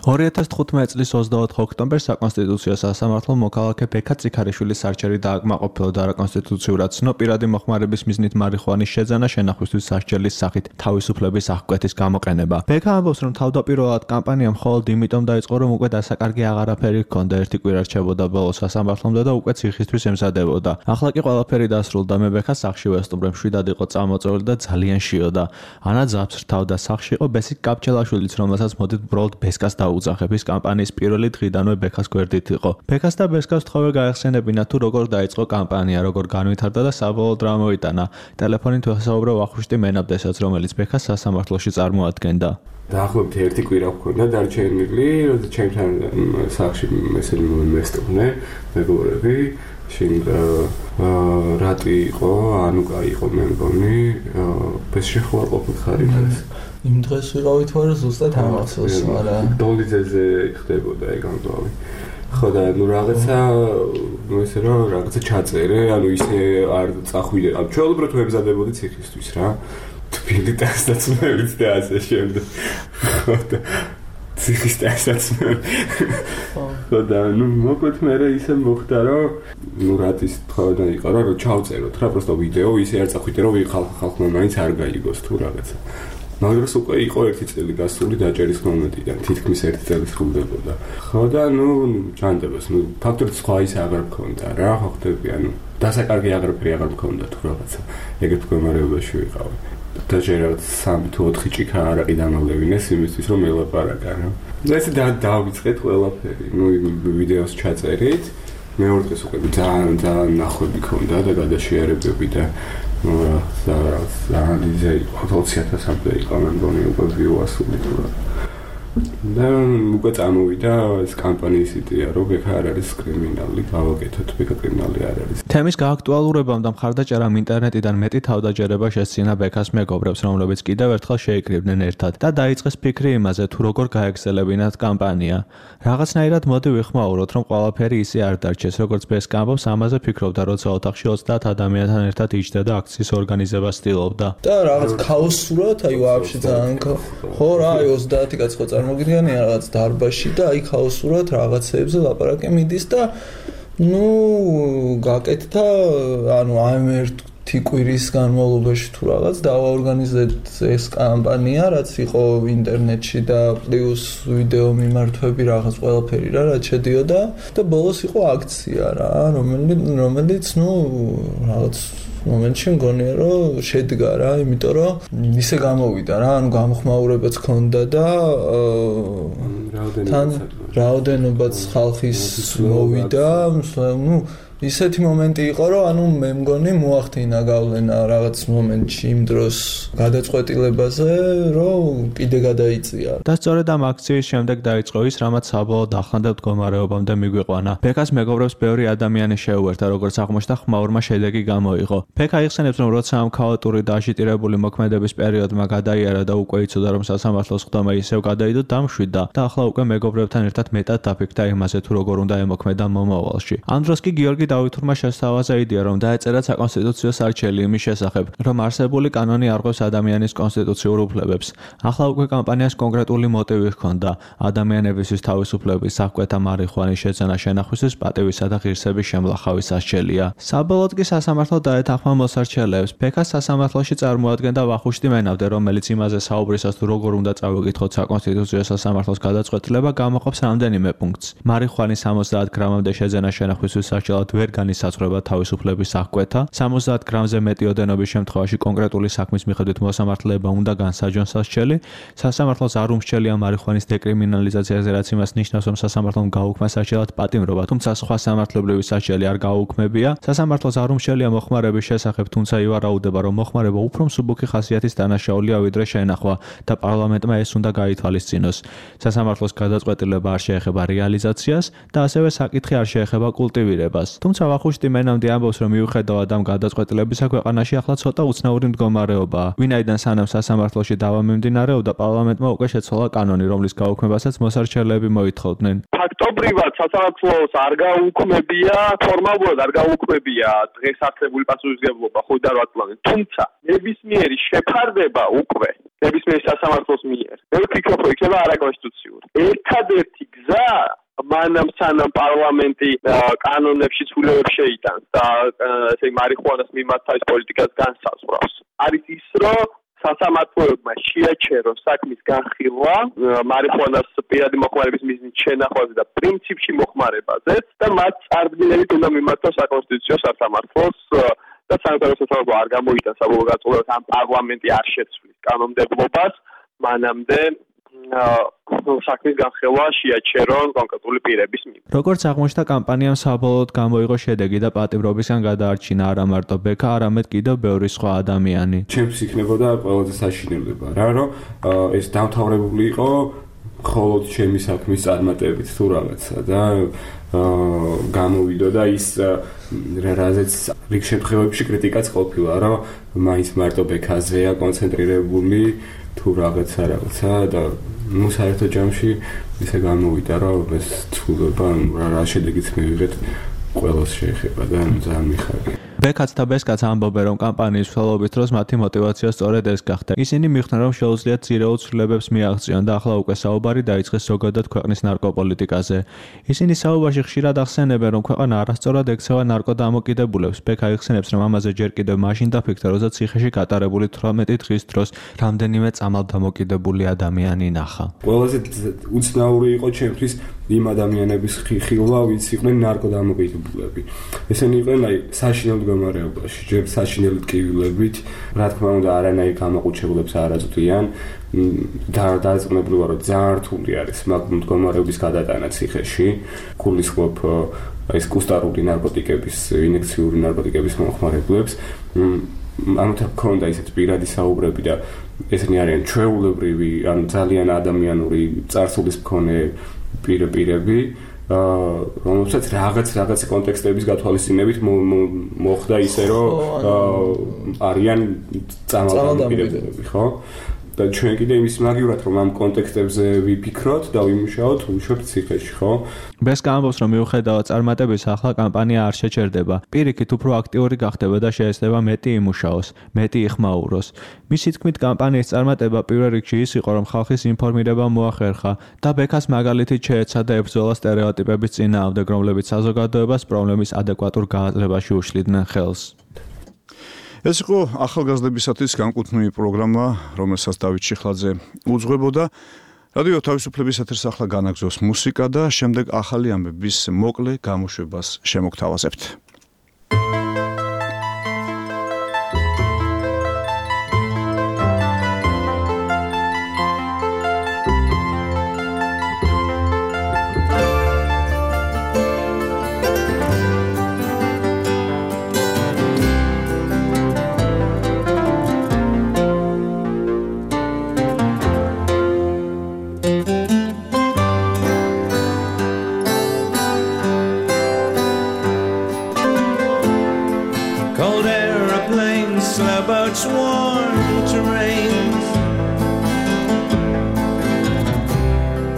2015 წლის 24 ოქტომბერს საკონსტიტუციო სასამართლომ მოქალაქე ბექა წიქარიშვილის არჩევი დააკმაყოფილა და არაკონსტიტუციურად ცნო პირადი მოხმარების მიზნით მარიხუანის შეძენა შენახვისთვის სასჯელის სახით თავისუფლების აღკვეთის გამოყენება. ბექა ამბობს, რომ თავდაპირველად კამპანია მხოლოდ იმიტომ დაიწყო, რომ უკვე დასაკარგი აღარაფერი ჰქონდა, ერთი კვირა რჩებოდა ბოლოს სასამართლომდე და უკვე ციხისთვის ემზადებოდა. ახლა კი ყველაფერი დასრულდა, მე ბექას სახში ვესტუმრე, მშვიდად იყო წამოწეული და ძალიან შიოდა. ანა ძაბს რთავდა, სახში იყო ბესიკ კაპჩელაშვილიც, რომელსაც მოდით ბროლდ ბესკას უძახების კამპანიის პირველი დღიდანვე ბექას გვერდით იყო. ბექას და ბესკას თხოვე გაეხსენებინა თუ როგორ დაიწყო კამპანია, როგორ განვითარდა და საბოლოოდ რა მოიტანა. ტელეფონით ვესაუბრე ვახუშტი მენაბდესაც, რომელიც ბექას სასამართლოში წარმოადგენდა. დაახლოებით ერთი კვირა ვქონდა დარჩენილი, როცა ჩემთან სახში მესელი მესტუმრე, მეგობრები, შენ რატი იყო, ანუკა იყო მე მგონი, ბესში ხوار ყოფილი ხარი დღეს. იმ დღეს ვიყავით ვარ ზუსტად ამასოს, მაგრამ დოლიძეზე ხდებოდა ეგ ამბავი. ხო და ნუ რაღაცა ესე რომ რაღაცა ჩაწერე, ანუ ისე არ წახვიდე. ანუ ჩვეულებრივ ვემზადებოდი ციხისთვის რა. თბილი დასაცმელიც და ასე შემდეგ. ხო და ციხის დასაცმელი. ხო და ნუ მოკლედ მე ისე მოხდა რომ ნუ რატის თხოვდა იყო რა რომ ჩავწეროთ რა პროსტო ვიდეო ისე არ წახვიდე რომ ხალხმა მაინც არ გაიგოს თუ რაღაცა. მაგრამ უკვე იყო ერთი წელი გასული დაჭერის მომენტიდან, თითქმის ერთი წელი სრულდებოდა. ხო და ნუ ჯანდებას, ნუ ფაქტორით სხვა ის აღარ მქონდა რა, ხო ხდები, ანუ დასაკარგი აღარაფერი აღარ მქონდა თუ რაღაცა. ეგეთ მდგომარეობაში ვიყავი. და ჯერ 3 თუ 4 ჭიქა არაყი დამავლევინეს იმისთვის რომ ელაპარაკა რა. და ესე დავიწყეთ ყველაფერი. ნუ ვიდეოს ჩაწერით. მეორე დღეს უკვე ძალიან ნახვები ქონდა და გადაშიარებები და ძალიან იზე 20,000-მდე იყო მე მგონი უკვე ვიუასული თუ რა. და უკვე წამოვიდა ეს კამპანიის იდეა, რომ ბექა არ არის კრიმინალი, გავაკეთოთ, ბექა კრიმინალი არ არის. თემის გააქტუალურებამ და მხარდაჭერამ ინტერნეტიდან მეტი თავდაჯერება შესცინა ბექას მეგობრებს, რომლებიც კიდევ ერთხელ შეიკრიბნენ ერთად და დაიწყეს ფიქრი იმაზე, თუ როგორ გაეგზელებინათ კამპანია. რაღაცნაირად მოდი ვიხმაუროთ, რომ ყველაფერი ისე არ დარჩეს, როგორც ბესკა ამბობს, ამაზე ფიქრობდა, როცა ოთახში 30 ადამიანთან ერთად იჯდა და აქციის ორგანიზებას ცდილობდა. და რაღაც ქაოსურად, აი ვაფშე ძალიან ხო რა, აი 30 კაცი ხო წარმოგიდგენია რაღაც დარბაზში და აი ქაოსურად რაღაცეებზე ლაპარაკი მიდის და ნუ გაკეთდა, ანუ ამ ერთი კვირის განმავლობაში თუ რაღაც დავაორგანიზეთ ეს კამპანია, რაც იყო ინტერნეტში და პლუს ვიდეო მიმართვები რაღაც ყველაფერი რა, რაც შედიოდა და ბოლოს იყო აქცია რა, რომელიც ნუ რაღაც მომენტში მგონია რომ შედგა რა, იმიტომ რომ ისე გამოვიდა რა, ანუ გამოხმაურებაც ჰქონდა და რაოდენობაც ხალხის მოვიდა, ნუ ისეთი მომენტი იყო რომ ანუ მე მგონი მოახდინა გავლენა რაღაც მომენტში იმ დროს გადაწყვეტილებაზე რომ კიდე გადაიწია და სწორედ ამ აქციის შემდეგ დაიწყო ის რამაც საბოლოოდ ახლანდელ მდგომარეობამდე მიგვიყვანა. ბექას მეგობრებს ბევრი ადამიანი შეუერთდა, როგორც აღმოჩნდა ხმაურმა შედეგი გამოიღო. ბექა იხსენებს რომ როცა ამ ქაოტური და აშიტირებული მოქმედების პერიოდმა გადაიარა და უკვე იცოდა რომ სასამართლოს ხდომა ისევ გადაიდო, დამშვიდდა და ახლა უკვე მეგობრებთან ერთად მეტად დაფიქრდა იმაზე თუ როგორ უნდა ემოქმედა მომავალში. ამ დროს კი გიორგი დავითურმა შესთავაზა იდეა, რომ დაეწერა საკონსტიტუციო სარჩელი იმის შესახებ, რომ არსებული კანონი არღვევს ადამიანის კონსტიტუციურ უფლებებს. ახლა უკვე კამპანიას კონკრეტული მოტივი ჰქონდა: ადამიანებისთვის თავისუფლების, საკვეთა მარიხვანის შეძენა შენახვისთვის პატივისა და ღირსების შემლახავის სასჯელია. საბოლოოდ კი სასამართლო დაეთანხმა მოსარჩელეებს. ბექას სასამართლოში წარმოადგენდა ვახუშტი მენავდე, რომელიც იმაზე საუბრისას თუ როგორ უნდა წავეკითხოთ საკონსტიტუციო სასამართლოს გადაწყვეტილება, გამოყოფს რამდენიმე პუნქტს. მარიხვანის 70 გრამამდე შეძენა შენახვისთვის სასჯელად ვერ განისაზღვრება თავისუფლების აღკვეთა. 70 გრამზე მეტი ოდენობის შემთხვევაში კონკრეტული საქმის მიხედვით მოსამართლეება უნდა განსაჯონ სასჯელი. სასამართლოს არ უმსჯელია მარიხვანის დეკრიმინალიზაციაზე, რაც იმას ნიშნავს, რომ სასამართლომ გაუქმა სასჯელად პატიმრობა, თუმცა სხვა სამართლებრივი სასჯელი არ გაუქმებია. სასამართლოს არ უმსჯელია მოხმარების შესახებ, თუმცა ივარაუდება, რომ მოხმარება უფრო მსუბუქი ხასიათის დანაშაულია, ვიდრე შენახვა და პარლამენტმა ეს უნდა გაითვალისწინოს. სასამართლოს გადაწყვეტილება არ შეეხება რეალიზაციას და ასევე საკითხი არ შეეხება კულტივირებას. თუმცა ვახუშტი მენამდე ამბობს, რომ მიუხედავად ამ გადაწყვეტილებისა ქვეყანაში ახლა ცოტა უცნაური მდგომარეობაა, ვინაიდან სანამ სასამართლოში დავა მიმდინარეობდა, პარლამენტმა უკვე შეცვალა კანონი, რომლის გაუქმებასაც მოსარჩელეები მოითხოვდნენ. ფაქტობრივად სასამართლოს არ გაუქმებია, ფორმალურად არ გაუქმებია დღეს არსებული პასუხისმგებლობა 5-8 წლამდე, თუმცა ნებისმიერი შეფარდება უკვე ნებისმიერი სასამართლოს მიერ. მე ვფიქრობ, რომ იქნება არაკონსტიტუციური. ერთადერთი გზა მანამ სანამ პარლამენტი კანონებში ცვლილებებს შეიტანს და ესე მარიხვანას მიმართ თავის პოლიტიკას განსაზღვრავს. არის ის, რომ სასამართლოებმა შეაჩერონ საქმის განხილვა მარიხვანას პირადი მოხმარების მიზნით შენახვაზე და პრინციპში მოხმარებაზე და მათ წარდგინებით უნდა მიმართოს საკონსტიტუციო სასამართლოს და საერთაშორისო სასამართლო არ გამოიტანს საბოლოო გაწყვეტილებას, ამ პარლამენტი არ შეცვლის კანონმდებლობას მანამდე საქმის განხილვა შეაჩერონ კონკრეტული პირების მიმართ. როგორც აღმოჩნდა, კამპანიამ საბოლოოდ გამოიღო შედეგი და პატიმრობისგან გადაარჩინა არა მარტო ბექა, არამედ კიდევ ბევრი სხვა ადამიანი. ჩემს იქნებოდა ყველაზე საშინელება რა, რომ ეს დამთავრებული იყო მხოლოდ ჩემი საქმის წარმატებით თუ რაღაცა და გამოვიდო და ის რაზეც რიგ შემთხვევებში კრიტიკაც ყოფილა, რომ მაინც მარტო ბექაზეა კონცენტრირებული თუ რაღაცა და ნუ საერთო ჯამში ისე გამოვიდა, რომ ეს ცვლილება რა შედეგიც მივიღეთ ყველას შეეხება და ძალიან მიხარია. ბექაც და ბესკაც ამბობენ, რომ კამპანიის მსვლელობის დროს მათი мотиваცია სწორედ ეს გახდა. ისინი მიხვდნენ, რომ შეუძლიათ ძირეულ ცვლილებებს მიაღწიონ და ახლა უკვე საუბარი დაიწყეს ზოგადად ქვეყნის ნარკოპოლიტიკაზე. ისინი საუბარში ხშირად ახსენებენ, რომ ქვეყანა არასწორად ექცევა ნარკოდამოკიდებულებს. ბექა იხსენებს, რომ ამაზე ჯერ კიდევ მაშინ დაფიქრდა, როცა ციხეში გატარებული 18 დღის დროს რამდენიმე წამალდამოკიდებული ადამიანი ნახა. ყველაზე უცნაური იყო ჩემთვის იმ ადამიანების ხილვა, ვინც იყვნენ ნარკოდამოკიდებულები. ესენი იყვნენ აი საშინელ მდგომარეობაში, ჯერ საშინელი ტკივილებით, რა თქმა უნდა, არანაირ გამაყუჩებულებს არ აწვდიან. დაწყებული ვარ, რომ ძალიან რთული არის მაგ მდგომარეობის გადატანა ციხეში. გულისხმობ ეს კუსტარული ნარკოტიკების, ინექციური ნარკოტიკების მომხმარებლებს. ამიტომ ქონდა ისეთ პირადი საუბრები და ესენი არიან ჩვეულებრივი, ან ძალიან ადამიანური წარსულის მქონე პირები, რომელსაც რაღაც კონტექსტების გათვალისწინებით მოხდა ისე, რომ არიან წარმომადგენლები, ხო? და ჩვენ კიდე იმის მაგივრად რომ ამ კონტექსტებზე ვიფიქროთ და ვიმუშაოთ უშუალოდ ციხეში, ხო? ბესკა ამბობს, რომ მიუხედავად წარმატების ახლა კამპანია არ შეჩერდება. პირიქით უფრო აქტიური გახდება და შეეცდება მეტი იმუშაოს, მეტი იხმაუროს. მისი თქმით, კამპანიის წარმატება პირველ რიგში ის იყო, რომ ხალხის ინფორმირება მოახერხა და ბექას მაგალითით შეეცადა ებრძოლა სტერეოტიპების წინააღმდეგ, რომლებიც საზოგადოებას პრობლემის ადეკვატურ გააზრებაში უშლიდნენ ხელს. ეს იყო ახალგაზრდებისათვის განკუთვნილი პროგრამა, რომელსაც დავით შიხლაძე უძღვებოდა. რადიო თავისუფლების ეთერს ახლა განაგზავს მუსიკა და შემდეგ ახალი ამბების მოკლე გამოშვებას შემოგთავაზებთ.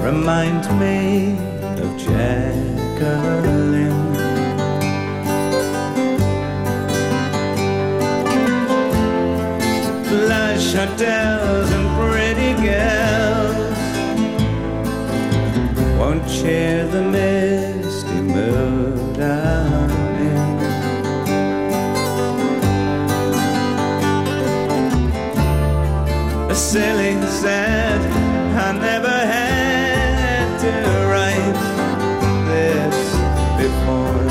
Remind me of Jacqueline. Flush hotels and pretty girls won't share the misty mood I'm in. A silly sad I never had to write this before.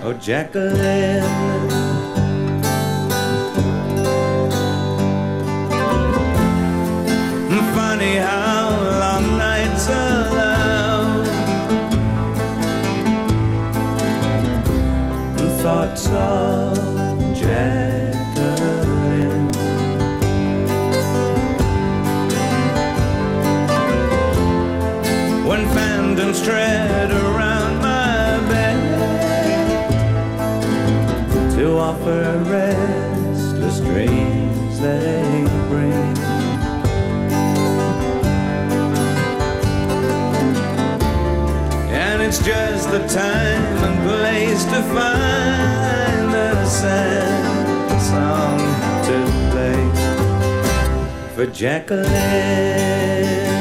Oh, Jacqueline, funny how long nights alone, thoughts of Jacqueline. When phantoms tread around my bed to offer restless dreams they bring. And it's just the time and place to find a sad song to play for Jacqueline.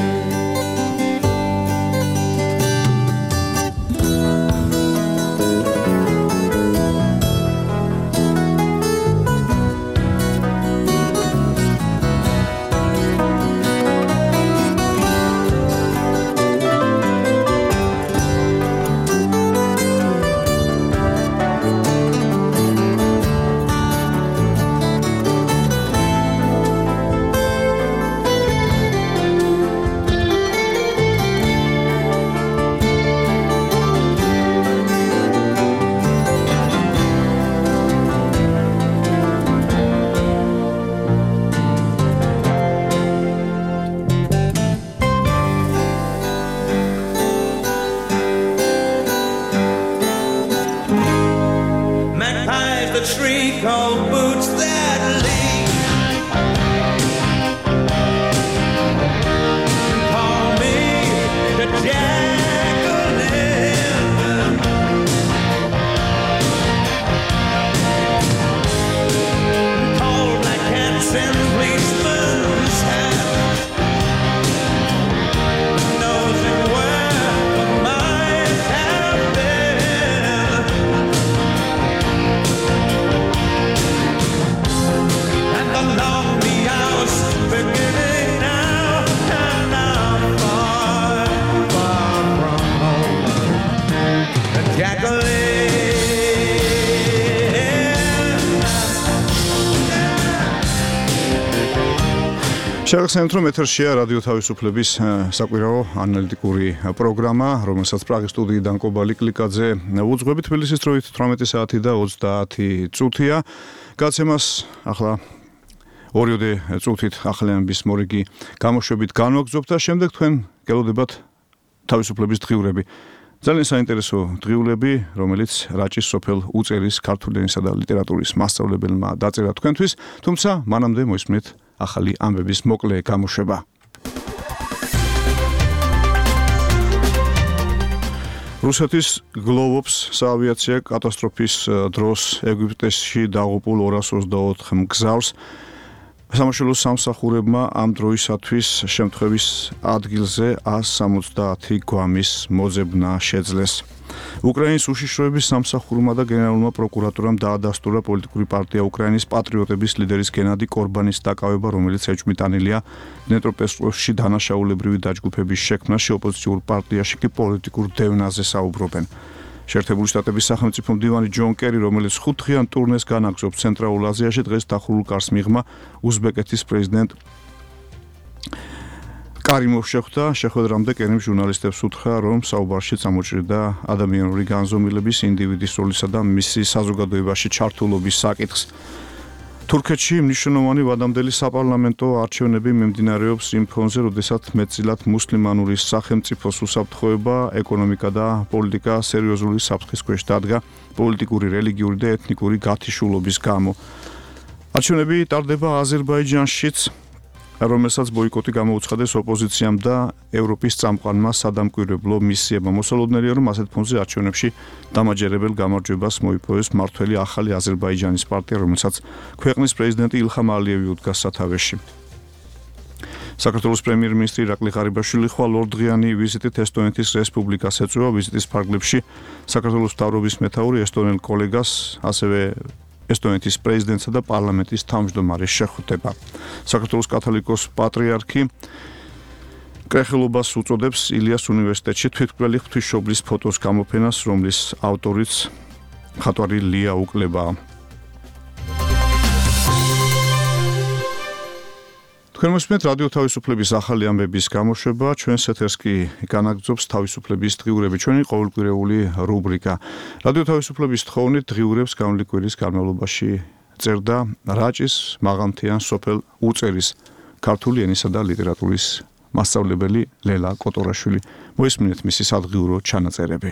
შეგახსენებთ, რომ ეთერშია რადიო თავისუფლების საკვირაო ანალიტიკური პროგრამა, რომელსაც პრაღის სტუდიიდან კობალი კლიკაძე უძღვებით. თბილისის დროით 18 საათი და 30 წუთია. გაცემას ახლა 2 წუთით ახალიანების მორიგი გამოშვებით განვაგრძობთ და შემდეგ თქვენ გელოდებათ თავისუფლების დღიურები. ძალიან საინტერესო დღიურები, რომელიც რაჭის სოფელ უწერის ქართული ენისა და ლიტერატურის მასწავლებელმა დაწერა თქვენთვის, თუმცა მანამდე მოისმენთ ახალი ამბების მოკლე გამოშვება. რუსეთის გლოვობს საავიაციო კატასტროფის დროს ეგვიპტეში დაღუპულ 224 მგზავრს სამშობლოს სამსახურებმა ამ დროისათვის შემთხვევის ადგილზე 170 გვამის მოძებნა შეძლეს. უკრაინის უშიშროების სამსახურმა და გენერალურმა პროკურატურამ დაადასტურა პოლიტიკური პარტია უკრაინის პატრიოტების ლიდერის გენადი კორბანის დაკავება, რომელიც ეჭვმიტანილია დნეპროპეტროვსკში დანაშაულებრივი დაჯგუფების შექმნაში, ოპოზიციურ პარტიაში კი პოლიტიკურ დევნაზე საუბრობენ. შეერთებული შტატების სახელმწიფო მდივანი ჯონ კერი, რომელიც 5 დღიან ტურნეს განაგრძობს ცენტრალურ აზიაში, დღეს დახურულ კარს მიღმა უზბეკეთის პრეზიდენტ კარიმოვს შეხვდა. შეხვედრამდე კერიმ ჟურნალისტებს უთხრა, რომ საუბარში წამოჭრიდა ადამიანური განზომილების, ინდივიდის როლისა და მისი საზოგადოებაში ჩართულობის საკითხს. თურქეთში მნიშვნელოვანი ვადამდელი საპარლამენტო არჩევნები მიმდინარეობს იმ ფონზე, როდესაც მეტწილად მუსლიმანური სახელმწიფოს უსაფრთხოება, ეკონომიკა და პოლიტიკა სერიოზული საფრთხის ქვეშ დადგა პოლიტიკური, რელიგიური და ეთნიკური გათიშულობის გამო. არჩევნები ტარდება აზერბაიჯანშიც, რომელსაც ბოიკოტი გამოუცხადეს ოპოზიციამ და ევროპის წამყვანმა სადამკვირვებლო მისიებმა. მოსალოდნელია, რომ ასეთ ფონზე არჩევნებში დამაჯერებელ გამარჯვებას მოიპოვეს მართველი ახალი აზერბაიჯანის პარტია, რომელსაც ქვეყნის პრეზიდენტი ილხამ ალიევი უდგას სათავეში. საქართველოს პრემიერ-მინისტრი ირაკლი ღარიბაშვილი ხვალ 2 დღიანი ვიზიტით ესტონეთის რესპუბლიკას ეწევა. ვიზიტის ფარგლებში საქართველოს მთავრობის მეთაური ესტონელ კოლეგას, ასევე ესტონეთის პრეზიდენტსა და პარლამენტის თავმჯდომარის შეხვდება. საქართველოს კათოლიკოს პატრიარქი კრეხელობას უწოდებს ილიას უნივერსიტეტში თვითმკვლელი ღვთისმშობლის ფოტოს გამოფენას, რომლის ავტორიც მხატვარი ლია უკლებაა. თქვენ მოსმენთ რადიო თავისუფლების ახალი ამბების გამოშვება, ჩვენს ეთერს კი განაგრძობს თავისუფლების დღიურები, ჩვენი ყოველკვირეული რუბრიკა. რადიო თავისუფლების თხოვნით დღიურებს გამოვლი კვირის განმავლობაში წერდა რაჭის მაღალმთიან სოფელ უწერის ქართული ენისა და ლიტერატურის მასწავლებელი ლელა კოტორაშვილი. მოისმინეთ მისი სადღიურო ჩანაწერები.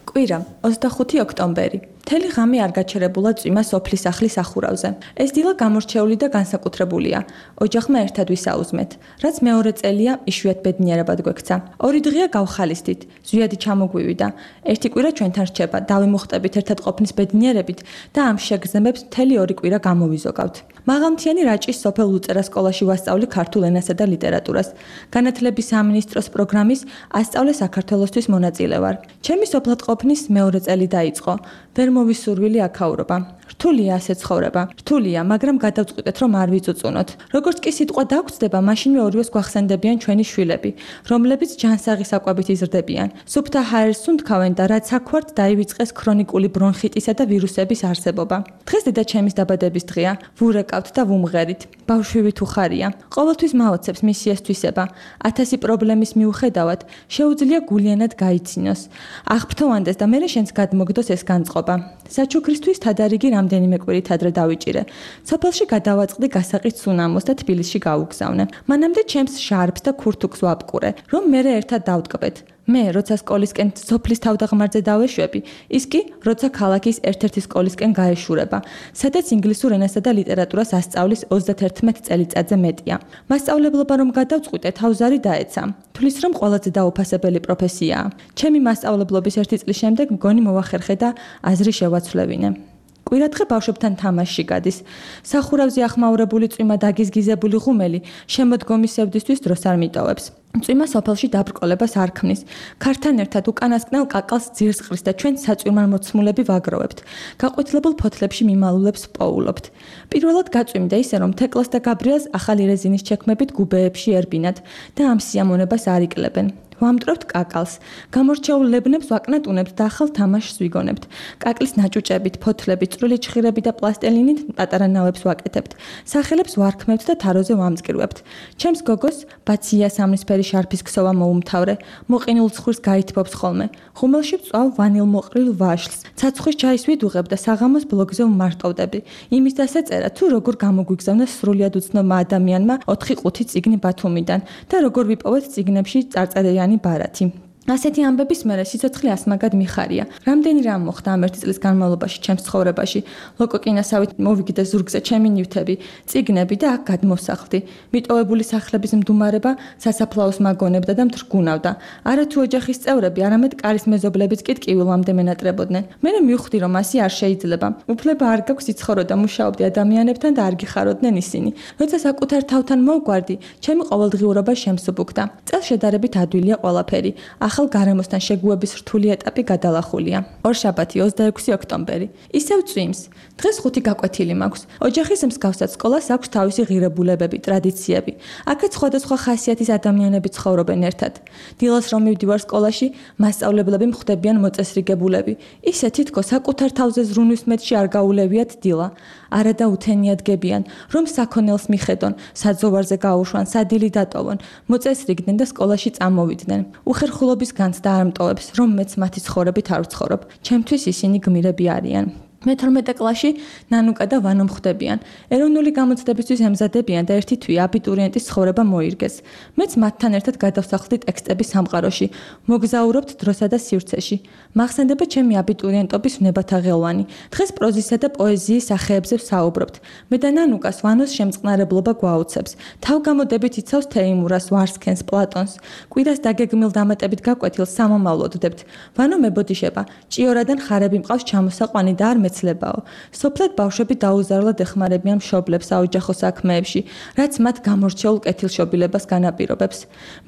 კვირა 25 ოქტომბერი. მთელი ღამე არ გაჩერებულა წვიმა სოფლის სახლის ახურავზე. ეს დილა გამორჩეული და განსაკუთრებულია. ოჯახმა ერთად ვისაუზმეთ, რაც მეორე წელია იშვიათ ბედნიერებად გვექცა. 2 დღეა გავხალისდით, ზვიადი ჩამოგვივიდა. ერთი კვირა ჩვენთან რჩება, დავიმუხტებით ერთად ყოფნის ბედნიერებით და ამ შეგრძნებებს მთელი 2 კვირა გამოვიზოგავთ. მაღალმთიანი რაჭის სოფელ უწერა სკოლაში ვასწავლი ქართულ ენასა და ლიტერატურას. განათლების სამინისტროს პროგრამის ასწავლე საქართველოსთვის მონაწილე ვარ. ჩემი სოფლად ყოფნის მეორე წელი დაიწყო. ვერ მოვისურვილი აქაურობა. რთულია ასე ცხოვრება. რთულია, მაგრამ გადავწყვიტეთ, რომ არ ვიწუწუნოთ. როგორც კი სიტყვა დაგვწდება, მაშინვე ორივეს გვახსენდებიან ჩვენი შვილები, რომლებიც ჯანსაღი საკვებით იზრდებიან. სუფთა ჰაერს უნთქავენ და რაც აქვართ, დაივიწყეს ქრონიკული ბრონხიტისა და ვირუსების არსებობა. დღეს დედაჩემის დაბადების დღეა. ვურეკავთ და ვუმღერით. ბავშვი თუ ხარია. ყოველთვის მაოცებს მისი ესთვისება. 1000 პრობლემის მიუხედავად, შეუძლია გულიანად გაიცინოს. აღფრთოვანდეს და მერე შენს გადმოგდოს ეს განწყობა. საჩუქრისთვის თადარიგი რამდენიმე კვირით ადრე დავიჭირე. სოფელში გადავაწყდი გასაყიდ სუნამოს და თბილისში გავუგზავნე. მანამდე ჩემს ჟარბს და ქურთუქს ვაპყურე, რომ მერე ერთად დავტკბეთ. მე, როცა სკოლისკენ სოფლის თავდაღმართზე დავეშვები, ის კი, როცა ქალაქის ერთ-ერთი სკოლისკენ გაეშურება, სადაც ინგლისურ ენასა და ლიტერატურას ასწავლის 31 წელიწადზე მეტია. მასწავლებლობა რომ გადავწყვიტე, თავზარი დაეცა. თulis რომ ყველაზე დაუფასებელი პროფესიაა. ჩემი მასწავლებლობის 1 წლის შემდეგ მგონი მოვახერხე და აზრი შევაცვლევინე. კვირადღე ბავშვებთან თამაშში გადის. სახურავზე ახმაურებული წვიმა დაგიზგიზებული ღუმელი შემოდგომისევლისთვის დროს არ მიტოვებს. წვიმა სოფელში დაბრკოლებას არ ქმნის. ქართან ერთად უკანასკნელ კაკალს ძირს ყრის და ჩვენ საწვიმარმოცმულები ვაგროვებთ. გაყვითლებულ ფოთლებში მიმალულებს პოულობთ. პირველად გაწვიმდა ისე, რომ თეკლას და გაბრიელს ახალი რეზინის ჩექმებით გუბეებში ერბინათ და ამ სიამონებას არ იკლებენ. ვამტვრევთ კაკალს. გამორჩეულ ლებნებს ვაკნატუნებთ და ახალ თამაშს ვიგონებთ. კაკლის ნაჭუჭებით, ფოთლებით, წვრილი ჩხირები და პლასტელინით პატარა ნავებს ვაკეთებთ. სახელებს ვარქმევთ და თაროზე ვამწკრივებთ. ჩემს გოგოს ბაცია სამნისფერი შარფის ქსოვა მოუმთავრე. მოყინულ ცხვირს გაითბობს ხოლმე. ხუმელში ვწვავ ვანილმოყრილ ვაშლს. ცაცხვრის ჩაის ვიდუღებ და საღამოს ბლოგზე ვმარტოვდები. იმის დასაწერა თუ როგორ გამოგვიგზავნა სრულიად უცნობმა ადამიანმა 4-5 წიგნი ბათუმიდან და როგორ ვიპოვეთ წიგნებში წარწერიანი ბარათი. ასეთი ამბების მერე სიცოცხლე ასმაგად მიხარია. რამდენი რამ მოხდა ამ 1 წლის განმავლობაში ჩემს ცხოვრებაში. ლოკოკინასავით მოვიგდე ზურგზე ჩემი ნივთები, წიგნები და აქ გადმოსახლდი. მიტოვებული სახლების მდუმარება სასაფლაოს მაგონებდა და მთრგუნავდა. არათუ ოჯახის წევრები, არამედ კარის მეზობლებიც კი ტკივილამდე მენატრებოდნენ. მე მივხვდი, რომ ასე არ შეიძლება. უფლება არ გაქვს იცხოვრო და მუშაობდი ადამიანებთან და არ გიხაროდნენ ისინი. როცა საკუთარ თავთან მოვგვარდი, ჩემი ყოველდღიურობა შემსუბუქდა. წელს შედარებით ადვილია ყველაფერი. ახალ გარემოსთან შეგუების რთული ეტაპი გადალახულია. ორშაბათი 26 ოქტომბერი. ისევ წვიმს. დღეს 5 გაკვეთილი მაქვს. ოჯახის მსგავსად სკოლას აქვს თავისი ღირებულებები, ტრადიციები. აქაც სხვადასხვა ხასიათის ადამიანები ცხოვრობენ ერთად. დილას რომ მივდივარ სკოლაში, მასწავლებლები მხვდებიან მოწესრიგებულები. ისე თითქოს საკუთარ თავზე ზრუნვის მეტში არ გაულევიათ დილა. არა და უთენიად გებიან, რომ საქონელს მიხედონ, საძოვარზე გაუშვან, სადილი დატოვონ, მოწესრიგდნენ და სკოლაში წამოვიდნენ. უხერხულობის განცდა არ მტოვებს, რომ მეც მათი ცხოვრებით არ ვცხოვრობ. ჩემთვის ისინი გმირები არიან. მე-12 კლასში ნანუკა და ვანო მხვდებიან. ეროვნული გამოცდებისთვის ემზადებიან და ერთი თვე აბიტურიენტის ცხოვრება მოირგეს. მეც მათთან ერთად გადავსახლდი ტექსტების სამყაროში. მოგზაურობთ დროსა და სივრცეში. მახსენდება ჩემი აბიტურიენტობის ვნებათა ღელვანი. დღეს პროზისა და პოეზიის სახეებზე ვსაუბრობთ. მე და ნანუკას ვანოს შემწყნარებლობა გვაუცებს. თავგამოდებით იცავს თეიმურას, ვარსქენს, პლატონს. კვირას დაგეგმილ დამატებით გაკვეთილს სამომავლოდდებთ. ვანო მებოდიშება. ჭიორადან ხარები მყავს ჩამოსაყვანი და არ მეცლებაო. სოფლად ბავშვები დაუზარლად ეხმარებიან მშობლებს საოჯახო საქმეებში, რაც მათ გამორჩეულ კეთილშობილებას განაპირობებს.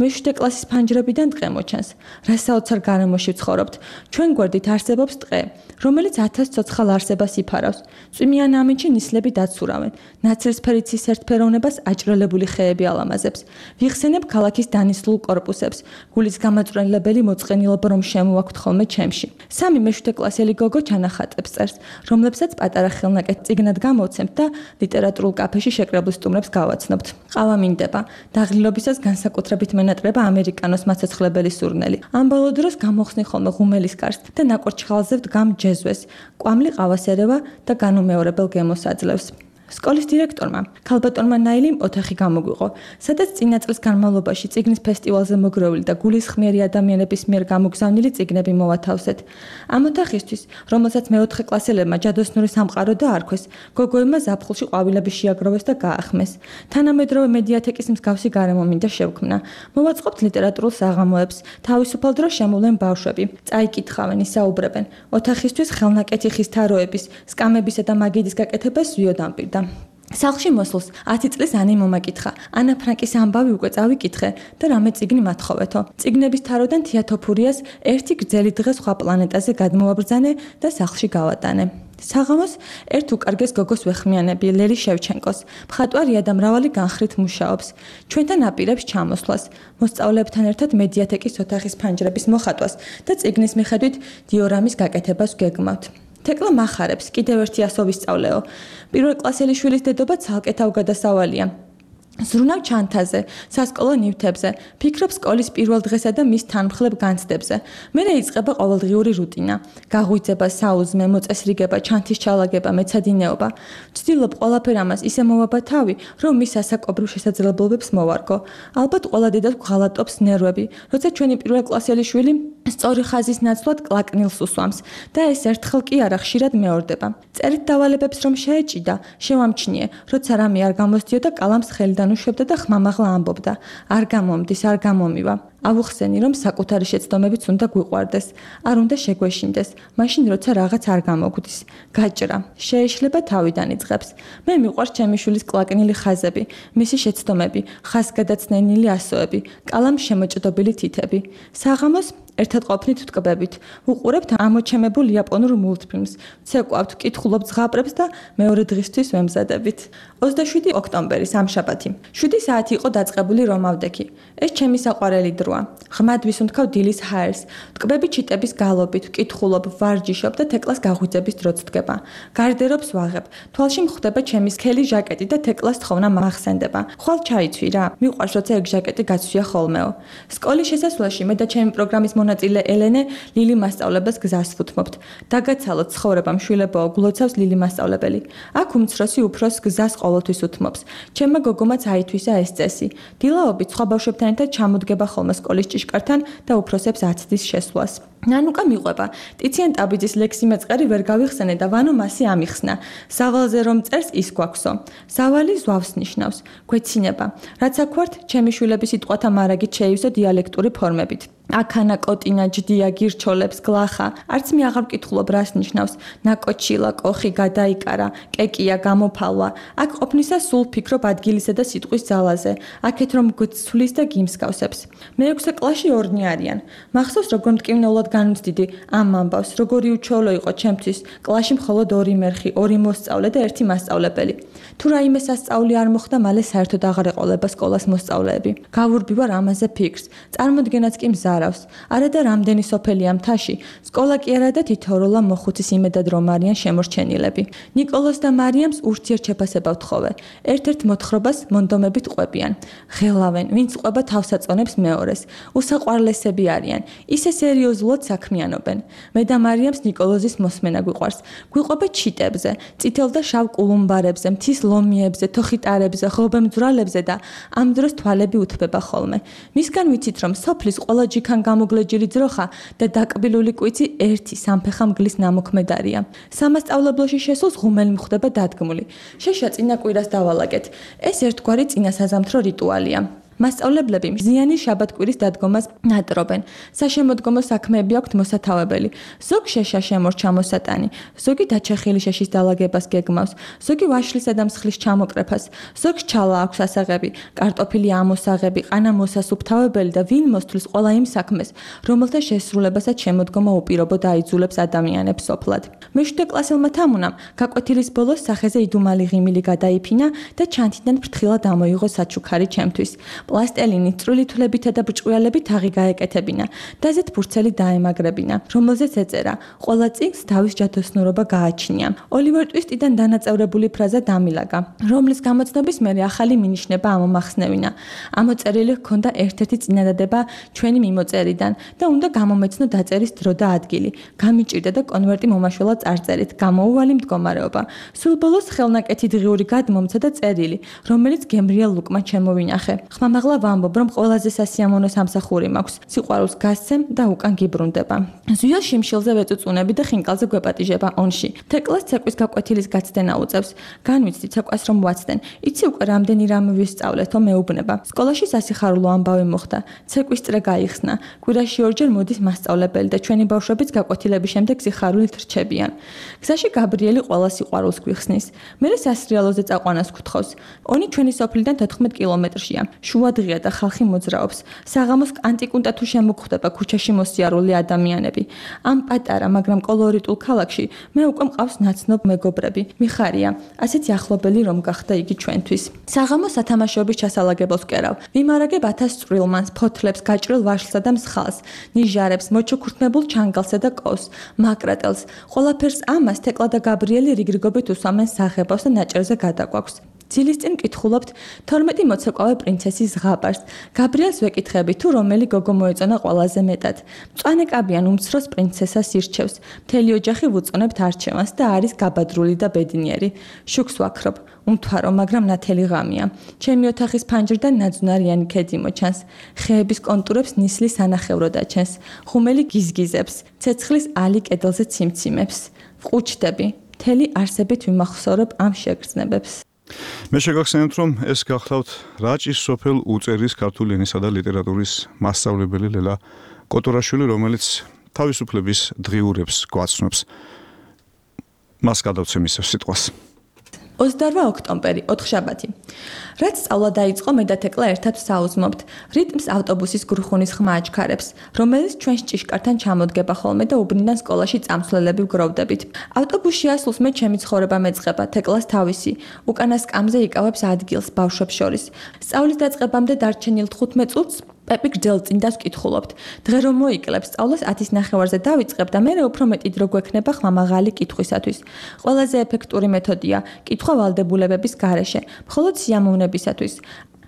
მე-7 კლასის ფანჯრებიდან დღე მოჩანს. რა საოცარ გარემოში ვცხოვრობთ. ჩვენ გვერდით არსებობს ტყე, რომელიც 1000 ცოცხალ არსებას იფარავს. წვიმიან ამინჩი ნისლები დაცურავენ. ნაცრისფერი ცის ერთფეროვნებას აჭრელებული ხეები ალამაზებს. ვიხსენებ ქალაქის დანისლულ კორპუსებს. გულის გამაწვრენებელი მოწყენილობა რომ შემოაქვთ ხოლმე ჩემში. სამი მე-7 კლასელი გოგო ჩანახატებს წერს, რომლებსაც პატარა ხელნაკეთ წიგნად გამოვცემთ და ლიტერატურულ კაფეში შეკრებულ სტუმრებს გავაცნობთ. ყავა მინდება. დაღლილობისას განსაკუთრებით მენატრება ამერიკანოს მაცოცხლებელი სურნელი. ამ ბოლო დროს გამოხსნი ხოლმე ღუმელის კარს და ნაკურჩხალზე ვდგამ ჯეზვეს. კვამლი ყავას ერევა და განუმეორებელ გემოს აძლევს. სკოლის დირექტორმა, ქალბატონმა ნაილიმ ოთახი გამოგვიყო, სადაც წინა წლის განმავლობაში წიგნის ფესტივალზე მოგროვილი და გულისხმიერი ადამიანების მიერ გამოგზავნილი წიგნები მოვათავსეთ. ამ ოთახისთვის, რომელსაც მე-4 კლასელებმა ჯადოსნური სამყარო დაარქვეს, გოგოებმა ზაფხულში ყვავილები შეაგროვეს და გაახმეს. თანამედროვე მედიათეკის მსგავსი გარემო მინდა შევქმნა. მოვაწყობთ ლიტერატურულ საღამოებს, თავისუფალ დროს შემოვლენ ბავშვები, წაიკითხავენ, ისაუბრებენ. ოთახისთვის ხელნაკეთი ხის თაროების, სკამებისა და მაგიდის გაკეთებას ვიოდამპირდა. სახლში მოსულს 10 წლის ანი მომაკითხა. ანა ფრანკის ამბავი უკვე წავიკითხე და რამე წიგნი მათხოვეთო. წიგნების თაროდან თეატოფურიას ერთი გრძელი დღე სხვა პლანეტაზე გადმოვაბრძანე და სახლში გავატანე. საღამოს ერთ უკარგეს გოგოს ვეხმიანები ლელი შევჩენკოს. მხატვარია და მრავალი განხრით მუშაობს. ჩვენთან აპირებს ჩამოსვლას, მოსწავლეებთან ერთად მედიათეკის ოთახის ფანჯრების მოხატვას და წიგნის მიხედვით დიორამის გაკეთებას გეგმავთ. თეკლა მახარებს, კიდევ ერთი ასო ვისწავლეო. პირველ კლასელი შვილის დედობა ცალკე თავგადასავალია. ზრუნავ ჩანთაზე, სასკოლო ნივთებზე, ფიქრობ სკოლის პირველ დღესა და მის თანმხლებ განცდებზე. მერე იწყება ყოველდღიური რუტინა. გაღვიძება, საუზმე, მოწესრიგება, ჩანთის ჩალაგება, მეცადინეობა. ვცდილობ ყველაფერ ამას ისე მოვაბა თავი, რომ მის ასაკობრივ შესაძლებლობებს მოვარგო. ალბათ ყველა დედას გვღალატობს ნერვები, როცა ჩვენი პირველ კლასელი შვილი სწორი ხაზის ნაცვლად კლაკნილს უსვამს და ეს ერთხელ კი არა ხშირად მეორდება. წერით დავალებებს რომ შეეჭიდა, შევამჩნიე, როცა რამე არ გამოსდიოდა კალამს ხელიდან უშვებდა და ხმამაღლა ამბობდა. არ გამომდის, არ გამომივა. ავუხსენი რომ საკუთარი შეცდომებიც უნდა გვიყვარდეს, არ უნდა შეგვეშინდეს, მაშინ როცა რაღაც არ გამოგვდის. გაჭრა, შეეშლება თავიდან იწყებს. მე მიყვარს ჩემი შვილის კლაკნილი ხაზები, მისი შეცდომები, ხაზგადაცნენილი ასოები, კალამს შემოჭდობილი თითები. საღამოს ერთად ყოფნით თკბებით. უყურებთ ამოჩემებულ იაპონურ მულტფილმს. ცეკვავთ, კითხულობთ ზღაპრებს და მეორე დღისთვის ვემზადებით. 27 ოქტომბერი სამშაბათი. 7 საათი იყო დაწყებული რომავდექი. ეს ჩემი საყვარელი დროა. ღრმად ვისუნთქავ დილის ჰაერს. თკბები ჩიტების გალობით, ვკითხულობ, ვარჯიშობ და თეკლას გაღვიძების დროც დგება. გარდერობს ვაღებ. თვალში მხვდება ჩემი სქელი ჟაკეტი და თეკლას თხოვნა მახსენდება. ხვალ ჩაიცვი რა. მიყვარს როცა ეგ ჟაკეტი გაცვია ხოლმეო. სკოლის შესასვლელში მე და ჩემი პროგრამის მონაწილე ელენე ლილი მასწავლებლებს გზას ვუთმობთ. დაგაცალოთ ცხოვრება მშვილებაო, გულოცავს ლილი მასწავლებელი. აქ უმცროსი უფროს გზას ყოველთვის უთმობს. ჩემმა გოგომაც აითვისა ეს წესი. დილაობით სხვა ბავშვებთან ერთად ჩამოდგება ხოლმე სკოლის ჭიშკართან და უფროსებს აცდის შესვლას. ნანუკა მიყვება. ტიციან ტაბიძის ლექსი მეწყერი ვერ გავიხსენე და ვანო მასი ამიხსნა. სავალზე რომ წერს ის გვაქვსო. სავალი ზვავს ნიშნავს. გვეცინება. რაც აქ ვართ, ჩემი შვილების სიტყვათა მარაგით შეივსო დიალექტური ფორმებით. აქანა კოტინა ჯდია გირჩოლებს გლახა. არც მე აღარ ვკითხულობ რას ნიშნავს. ნაკოჩილა, კოხი გადაიკარა, კეკია გამოფალვა. აქ ყოფნისას სულ ფიქრობ ადგილისა და სიტყვის ძალაზე. აქეთ რომ გცვლის და გიმსგავსებს. მე-6 კლასში ორნი არიან. მახსოვს როგორ მტკივნეულად განვცდიდი ამ ამბავს, როგორი უჩვეულო იყო ჩემთვის. კლასში მხოლოდ 2 მერხი, 2 მოსწავლე და 1 მასწავლებელი. თუ რაიმე სასწაული არ მოხდა, მალე საერთოდ აღარ ეყოლება სკოლას მოსწავლეები. გავურბივარ ამაზე ფიქრს. წარმოდგენაც კი მზარავს. არა და რამდენი სოფელია მთაში. სკოლა კი არა და თითოეულა მოხუცის იმედად რომ არიან შემორჩენილები. ნიკოლოს და მარიამს ურთიერთშეფასება ვთხოვე. ერთ-ერთ მოთხრობას მონდომებით ყვებიან. ღელავენ, ვინც ყვება თავსაწონებს მეორეს. უსაყვარლესები არიან. ისე სერიოზულად საქმიანობენ. მე და მარიამს ნიკოლოზის მოსმენა გვიყვარს. გვიყვება ჩიტებზე, წითელ და შავ კულუმბარებზე, მთის ლომიებზე, თოხიტარებზე, ღობემძვრალებზე და ამ დროს თვალები უთბება ხოლმე. მისგან ვიცით რომ სოფლის ყველა ჯიქან გამოგლეჯილი ძროხა და დაკბილული კვიცი ერთი სამფეხა მგლის ნამოქმედარია. სამასწავლებლოში შესულს ღუმელი მხდება დადგმული. შეშა წინა კვირას დავალაგეთ. ეს ერთგვარი წინასაზამთრო რიტუალია. მასწავლებლები მზიანი შაბათ-კვირის დადგომას ნატრობენ. საშემოდგომო საქმეები აქვთ მოსათავებელი. ზოგ შეშა შემორჩა მოსატანი, ზოგი დაჩეხილი შეშის დალაგებას გეგმავს, ზოგი ვაშლისა და მსხლის ჩამოკრეფას, ზოგ ჩალა აქვს ასაღები, კარტოფილი ამოსაღები, ყანა მოსასუფთავებელი და ვინ მოსთვლის ყველა იმ საქმეს, რომელთა შესრულებასაც შემოდგომა უპირობო დაიძულებს ადამიანებს სოფლად. მე-7 კლასელმა თამუნამ გაკვეთილის ბოლოს სახეზე იდუმალი ღიმილი გადაიფინა და ჩანთიდან ფრთხილად ამოიღო საჩუქარი ჩემთვის. პლასტელინი წვრილი თვლებითა და ბრჭყვიალებით თაღი გაეკეთებინა. დაზეთ ფურცელი დაემაგრებინა, რომელზეც ეწერა: ყველა წიგნს თავის ჯადოსნურობა გააჩნია. ოლივერ ტვისტიდან დანაწევრებული ფრაზა დამილაგა, რომლის გამოცნობის მერე ახალი მინიშნება ამომახსნევინა. ამოწერილი ჰქონდა ერთ-ერთი წინადადება ჩვენი მიმოწერიდან და უნდა გამომეცნო დაწერის დრო და ადგილი. გამიჭირდა და კონვერტი მომაშველად წარწერით, გამოუვალი მდგომარეობა. სულ ბოლოს ხელნაკეთი დღიური გადმომცა და წერილი, რომელიც გემრიელ ლუკმა ჩემოვინახე. ხმამაღლა ვამბობ, რომ ყველაზე სასიამოვნო სამსახური მაქვს. სიყვარულს გასცემ და უკან გიბრუნდება. ზუიას შიმშილზე ვეწუწუნები და ხინკალზე გვეპატიჟება ონში. თეკლას ცეკვის გაკვეთილის გაცდენა უწევს. განვიცდი ცეკვას რომ ვაცდენ. იცი უკვე რამდენი რამე ვისწავლეთო მეუბნება. სკოლაში სასიხარულო ამბავი მოხდა. ცეკვის წრე გაიხსნა. კვირაში 2 ჯერ მოდის მასწავლებელი და ჩვენი ბავშვებიც გაკვეთილების შემდეგ სიხარულით რჩებიან. გზაში გაბრიელი ყველა სიყვარულს გვიხსნის. მერე სასრიალოზე წაყვანას გთხოვს. ონი ჩვენი სოფლიდან 14 კილომეტრშია. შუადღია და ხალხი მოძრაობს. საღამოს კანტიკუნტა თუ შემოგხვდება ქუჩაში მოსიარული ადამიანები. ამ პატარა, მაგრამ კოლორიტულ ქალაქში მე უკვე მყავს ნაცნობ მეგობრები. მიხარია, ასეთი ახლობელი რომ გახდა იგი ჩვენთვის. საღამოს სათამაშოების ჩასალაგებელს ვკერავ. ვიმარაგებ 1000 წვრილმანს, ფოთლებს, გაჭრილ ვაშლსა და მსხალს, ნიჟარებს, მოჩუქურთმებულ ჩანგალსა და კოვს, მაკრატელს. ყველაფერს ამას თეკლა და გაბრიელი რიგრიგობით უსვამენ საღებავს და ნაჭერზე გადაგვაქვს. ძილის წინ კითხულობთ 12 მოცეკვავე პრინცესის ზღაპარს. გაბრიელს ვეკითხები თუ რომელი გოგო მოეწონა ყველაზე მეტად. მწვანე კაბიან უმცროს პრინცესას ირჩევს. მთელი ოჯახი ვუწონებთ არჩევანს და არის გაბადრული და ბედნიერი. შუქს ვაქრობ. უმთვარო, მაგრამ ნათელი ღამია. ჩემი ოთახის ფანჯრიდან ნაძვნარიანი ქედი მოჩანს. ხეების კონტურებს ნისლი სანახევრო დაჩენს. ხუმელი გიზგიზებს. ცეცხლის ალი კედელზე ციმციმებს. ვყუჩდები. მთელი არსებით ვიმახსოვრებ ამ შეგრძნებებს. მე შეგახსენებთ, რომ ეს გახლავთ რაჭის სოფელ უწერის ქართული ენისა და ლიტერატურის მასწავლებელი ლელა კოტორაშვილი, რომელიც თავისუფლების დღიურებს გვაცნობს. მას გადავცემ ისევ სიტყვას. 28 ოქტომბერი, ოთხშაბათი. რაც სწავლა დაიწყო, მე და თეკლა ერთად საუზმობთ. რიტმს ავტობუსის გრუხუნის ხმა აჩქარებს, რომელიც ჩვენს ჭიშკართან ჩამოდგება ხოლმე და უბნიდან სკოლაში წამსვლელები ვგროვდებით. ავტობუსში ასულს მე ჩემი ცხოვრება მეწყება, თეკლას თავისი. უკანა სკამზე იკავებს ადგილს ბავშვებს შორის. სწავლის დაწყებამდე დარჩენილ 15 წუთს პეპი გრძელწინდას ვკითხულობთ. დღე რომ მოიკლებს, სწავლას 10:30-ზე დავიწყებ და მე უფრო მეტი დრო გვექნება ხმამაღალი კითხვისათვის. ყველაზე ეფექტური მეთოდია კითხვა ვალდებულებების გარეშე, მხოლოდ სიამოვნებისათვის.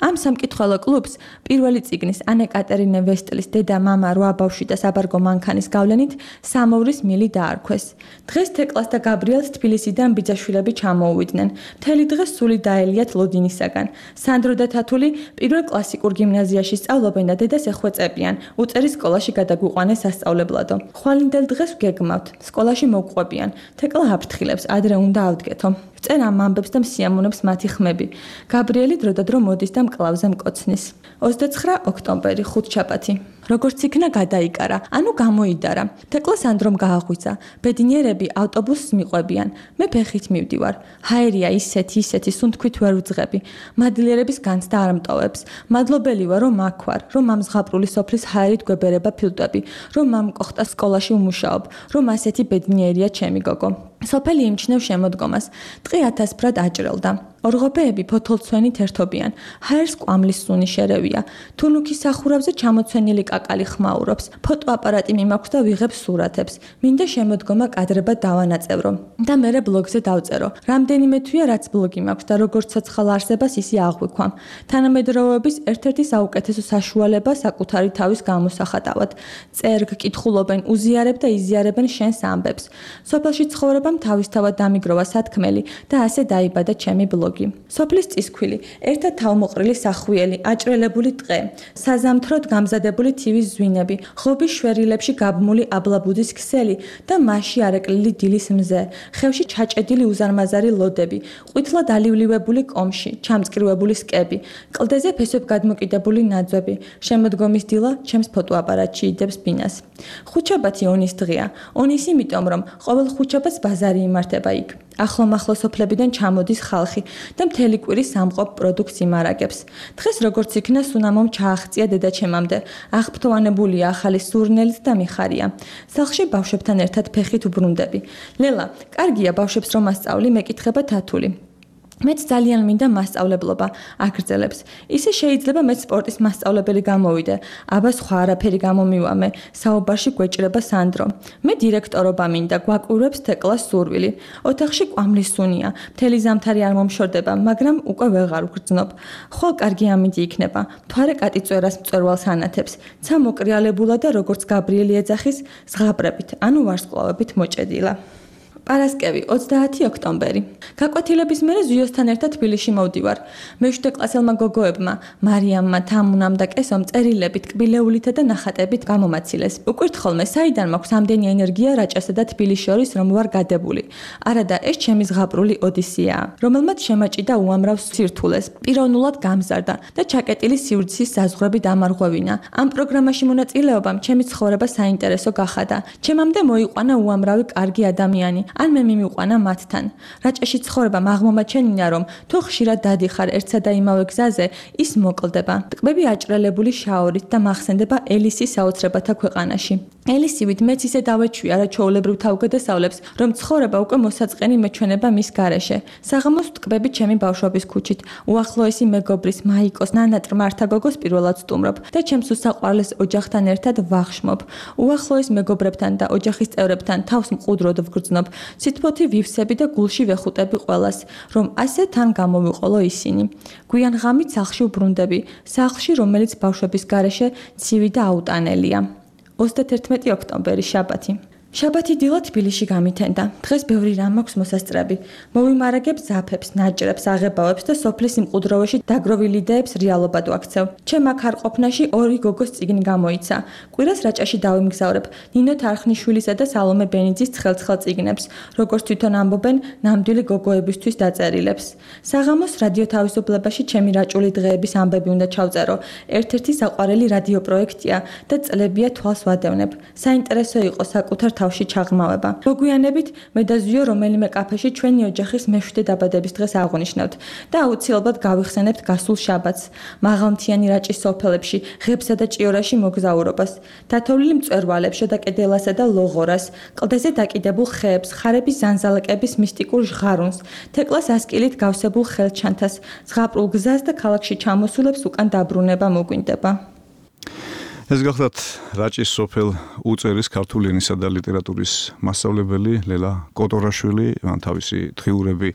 ამ სამკითხველო კლუბს პირველი წიგნის ანე კატერინე ვესტლის დედა მამა 8 ბავშვი და საბარგო მანქანის გავლენით სამოვრის მილი დაარქვეს. დღეს თეკლას და გაბრიელს თბილისიდან ბიძაშვილები ჩამოუვიდნენ. მთელი დღე სული დაელიათ ლოდინისაგან. სანდრო და თათული პირველ კლასიკურ გიმნაზიაში სწავლობენ და დედას ეხვეწებიან. უწერის სკოლაში გადაგვიყვანეს სასწავლებლადო. ხვალინდელ დღეს ვგეგმავთ. სკოლაში მოვყვებიან. თეკლა აფრთხილებს, ადრე უნდა ავდგეთო. წერ ამ ამბებს და მსიამოვნებს მათი ხმები. გაბრიელი დროდადრო მოდის და მკლავზე მკოცნის. 29 ოქტომბერი, ხუთშაბათი. როგორც იქნა გადაიკარა, ანუ გამოიდარა. თეკლა სანდრომ გააღვიძა. ბედნიერები ავტობუსს მიყვებიან. მე ფეხით მივდივარ. ჰაერია ისეთი, სუნთქვით ვერ ვძღები. მადლიერების განცდა არ მტოვებს. მადლობელი ვარ, რომ აქ ვარ, რომ ამ ზღაპრული სოფლის ჰაერით გვებერება ფილტვები, რომ ამ კოხტა სკოლაში უმუშაობ, რომ ასეთი ბედნიერია ჩემი გოგო. სოფელი იმჩნევ შემოდგომას. ტყი 1000 ფრად აჭრელდა. ორღობეები ფოთოლცვენით ერთობიან. ჰაერს კვამლის სუნი შერევია. თუნუქის სახურავზე ჩამოცვენილი კაკალი ხმაურობს. ფოტოაპარატი მიმაქვს და ვიღებ სურათებს. მინდა შემოდგომა კადრებად დავანაწევრო და მერე ბლოგზე დავწერო. რამდენიმე თვეა რაც ბლოგი მაქვს და როგორც ცოცხალ არსებას ისე აღვიქვამ. თანამედროვეობის ერთ-ერთი საუკეთესო საშუალება საკუთარი თავის გამოსახატავად. წერ, გკითხულობენ, უზიარებ და იზიარებენ შენს ამბებს. სოფელში ცხოვრებამ თავისთავად დამიგროვა სათქმელი და ასე დაიბადა ჩემი ბლოგი. სოფლის წისქვილი, ერთად თავმოყრილი სახვიელი, აჭრელებული ტყე, საზამთროდ გამზადებული თივის ზვინები, ღობის შვერილებში გაბმული აბლაბუდის ქსელი და მასში არეკლილი დილის მზე, ხევში ჩაჭედილი უზარმაზარი ლოდები, ყვითლად ალივლივებული კომში, ჩამწკრივებული სკები, კლდეზე ფესვებ გადმოკიდებული ნაძვები, შემოდგომის დილა ჩემს ფოტოაპარატში იდებს ბინას. ხუთშაბათი ონის დღეა. ონის იმიტომ, რომ ყოველ ხუთშაბათს ბაზარი იმართება იქ. ახლო-მახლო სოფლებიდან ჩამოდის ხალხი და მთელი კვირი სამყოფ პროდუქტს იმარაგებს. დღეს როგორც იქნა სუნამომ ჩააღწია დედაჩემამდე. აღფრთოვანებულია ახალი სურნელით და მიხარია. სახლში ბავშვებთან ერთად ფეხით უბრუნდები. ლელა, კარგია ბავშვებს რომ ასწავლი, მეკითხება თათული. მეც ძალიან მინდა მასწავლებლობა, აგრძელებს. ისე შეიძლება მეც სპორტის მასწავლებელი გამოვიდე. აბა სხვა არაფერი გამომივამე. საუბარში გვეჭრება სანდრო. მე დირექტორობა მინდა, გვაკვირვებს თეკლას სურვილი. ოთახში კვამლის სუნია. მთელი ზამთარი არ მომშორდება, მაგრამ უკვე ვეღარ ვგრძნობ. ხვალ კარგი ამინდი იქნება. მთვარე კატიწვერას მწვერვალს ანათებს. ცა მოკრიალებულა და როგორც გაბრიელი ეძახის, ზღაპრებით, ანუ ვარსკვლავებით მოჭედილა. პარასკევი 30 ოქტომბერი. გაკვეთილების მერე ზიოსთან ერთად თბილისში მოვდივარ. მე-7 კლასელმა გოგოებმა, მარიამმა, თამუნამ და კესომ წერილებით, კბილეულითა და ნახატებით გამომაცილეს. უკვირთ ხოლმე, საიდან მაქვს ამდენი ენერგია რაჭასა და თბილისს შორის, რომ ვარ გადებული. არადა, ეს ჩემი ზღაპრული ოდისეაა, რომელმაც შემაჭიდა უამრავ სირთულეს, პიროვნულად გამზარდა და ჩაკეტილი სივრცის საზღვრები დამარღვევინა. ამ პროგრამაში მონაწილეობამ ჩემი ცხოვრება საინტერესო გახადა. ჩემამდე მოიყვანა უამრავი კარგი ადამიანი. ან მე მიმიყვანა მათთან. რაჭაში ცხოვრებამ აღმომაჩენინა, რომ თუ ხშირად დადიხარ ერთსა და იმავე გზაზე, ის მოკლდება. ტკბები აჭრელებული შაორით და მახსენდება ელისის საოცრებათა ქვეყანაში. ელისივით მეც ისე დავეჩვია რა ჩვეულებრივ თავგადასავლებს, რომ ცხოვრება უკვე მოსაწყენი მეჩვენება მის გარეშე. საღამოს ტკბები ჩემი ბავშვობის ქუჩით, უახლოესი მეგობრის მაიკოს ნანატ მართა გოგოს პირველად სტუმრობ და ჩემს უსაყვარლეს ოჯახთან ერთად ვახშმობ. უახლოეს მეგობრებთან და ოჯახის წევრებთან თავს მყუდროდ ვგრძნობ. სითბოთი ვივსები და გულში ვეხუტები ყველას, რომ ასე თან გამოვიყოლო ისინი. გვიან ღამით სახლში ვბრუნდები, სახლში, რომელიც ბავშვების გარეშე ცივი და აუტანელია. 31 ოქტომბერი, შაბათი. შაბათი დილა თბილისში გამითენდა. დღეს ბევრი რამ მაქვს მოსასწრები. მოვიმარაგებ ზაფებს, ნაჭრებს, აღებავებს და სოფლის იმყუდროვაში დაგროვილი იდეებს რეალობად ვაქცევ. ჩემ აქ არ ყოფნაში ორი გოგოს წიგნი გამოიცა. კვირას რაჭაში დავიმგზავრებ ნინო თარხნიშვილისა და სალომე ბენიძის ცხელ-ცხელ წიგნებს, როგორც თვითონ ამბობენ, ნამდვილი გოგოებისთვის დაწერილებს. საღამოს რადიო თავისუფლებაში ჩემი რაჭული დღეების ამბები უნდა ჩავწერო. ერთ-ერთი საყვარელი რადიო პროექტია და წლებია თვალს ვადევნებ. საინტერესო იყო საკუთარ თავში ჩაღრმავება. მოგვიანებით მე და ზიო რომელიმე კაფეში ჩვენი ოჯახის მე-7 დაბადების დღეს აღვნიშნავთ და აუცილებლად გავიხსენებთ გასულ შაბათს, მაღალმთიანი რაჭის სოფელებში, ღებსა და ჭიორაში მოგზაურობას, დათოვლილი მწვერვალებს, შედაკედილასა და ლოღორას, კლდეზე დაკიდებულ ხეებს, ხარების ზანზალაკების მისტიკურ ჟღარუნს, თეკლას ასკილით გავსებულ ხელჩანთას, ზღაპრულ გზას და ქალაქში ჩამოსულებს უკან დაბრუნება მოგვინდება. ეს გახლავთ რაჭის სოფელ უწერის ქართული ენისა და ლიტერატურის მასწავლებელი ლელა კოტორაშვილი, მან თავისი დღიურები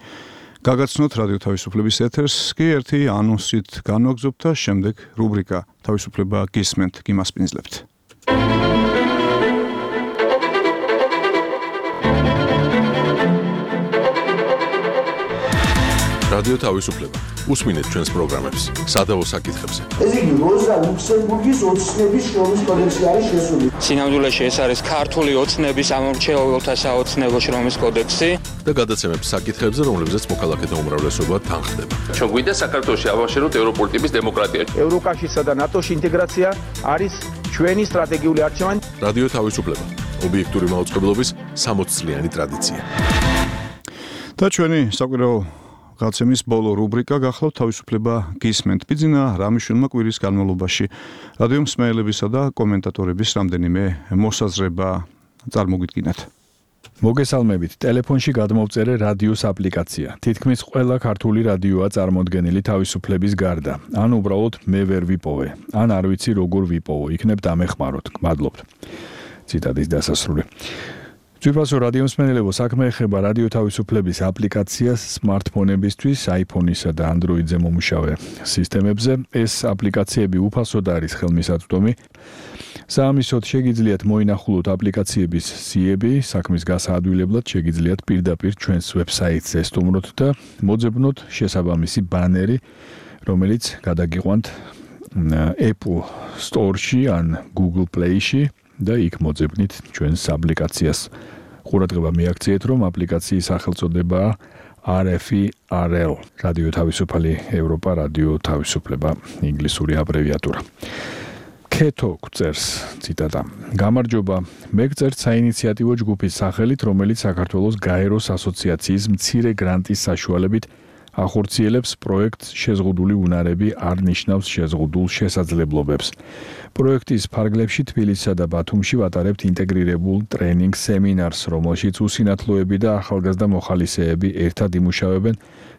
გაგაცნოთ რადიო თავისუფლების ეთერს, კი ერთი ანონსით განვაგრძობთ და შემდეგ რუბრიკა თავისუფლება გისმენთ, გიმასპინძლებთ. რადიო თავისუფლება. უსმინეთ ჩვენს პროგრამებს სადავო საკითხებზე. ეს იგი როზა ლუქსემბურგის ოცნების შრომის კოდექსი არის შესული. სინამდვილეში ეს არის ქართული ოცნების ამორჩეულთა საოცნებო შრომის კოდექსი და გადაცემებს საკითხებზე, რომლებზეც მოქალაქეთა უმრავლესობა თანხდება. ჩვენ გვინდა საქართველოში ავაშენოთ ევროპული ტიპის დემოკრატია. ევროკავშირსა და ნატოში ინტეგრაცია არის ჩვენი სტრატეგიული არჩევანი. რადიო თავისუფლება. ობიექტური მაუწყებლობის 60 წლიანი ტრადიცია. და ჩვენი საკვირაო გაცემის ბოლო რუბრიკა გახლავთ თავისუფლება გისმენთ. ბიძინა რამიშვილმა კვირის განმავლობაში რადიო მსმენელებისა და კომენტატორების რამდენიმე მოსაზრება წარმოგიდგინათ. მოგესალმებით. ტელეფონში გადმოვწერე რადიოს აპლიკაცია. თითქმის ყველა ქართული რადიოა წარმოდგენილი თავისუფლების გარდა. ან უბრალოდ მე ვერ ვიპოვე, ან არ ვიცი როგორ ვიპოვო. იქნებ დამეხმაროთ. გმადლობთ. ციტატის დასასრული. ძვირფასო რადიო მსმენელებო, საქმე ეხება რადიო თავისუფლების აპლიკაციას smartphone-ებისთვის, iPhone-ისა და Android-ზე მომუშავე სისტემებზე. ეს აპლიკაციები უფასოდ არის ხელმისაწვდომი. საამისოდ შეგიძლიათ მოინახულოთ აპლიკაციების სიები, საქმის გასაადვილებლად შეგიძლიათ პირდაპირ ჩვენს ვებსაიტზე სტუმროთ და მოძებნოთ შესაბამისი ბანერი, რომელიც გადაგიყვანთ Apple Store-ში ან Google Play-ში და იქ მოძებნით ჩვენს აპლიკაციას. ყურადღება მიაქციეთ, რომ აპლიკაციის სახელწოდებაა RFERL, რადიო თავისუფალი ევროპა, რადიო თავისუფლება, ინგლისური აბრევიატურა. Keto წერს ციტატა. გამარჯობა, მე გწერთ საინიციატივო ჯგუფის სახელით, რომელიც საქართველოს გაეროს ასოციაციის მცირე გრანტის საშუალებით ახორციელებს პროექტს შეზღუდული უნარები არ ნიშნავს შეზღუდულ შესაძლებლობებს. პროექტის ფარგლებში თბილისსა და ბათუმში ვატარებთ ინტეგრირებულ ტრენინგ სემინარს, რომელშიც უსინათლოები და ახალგაზრდა მოხალისეები ერთად იმუშავებენ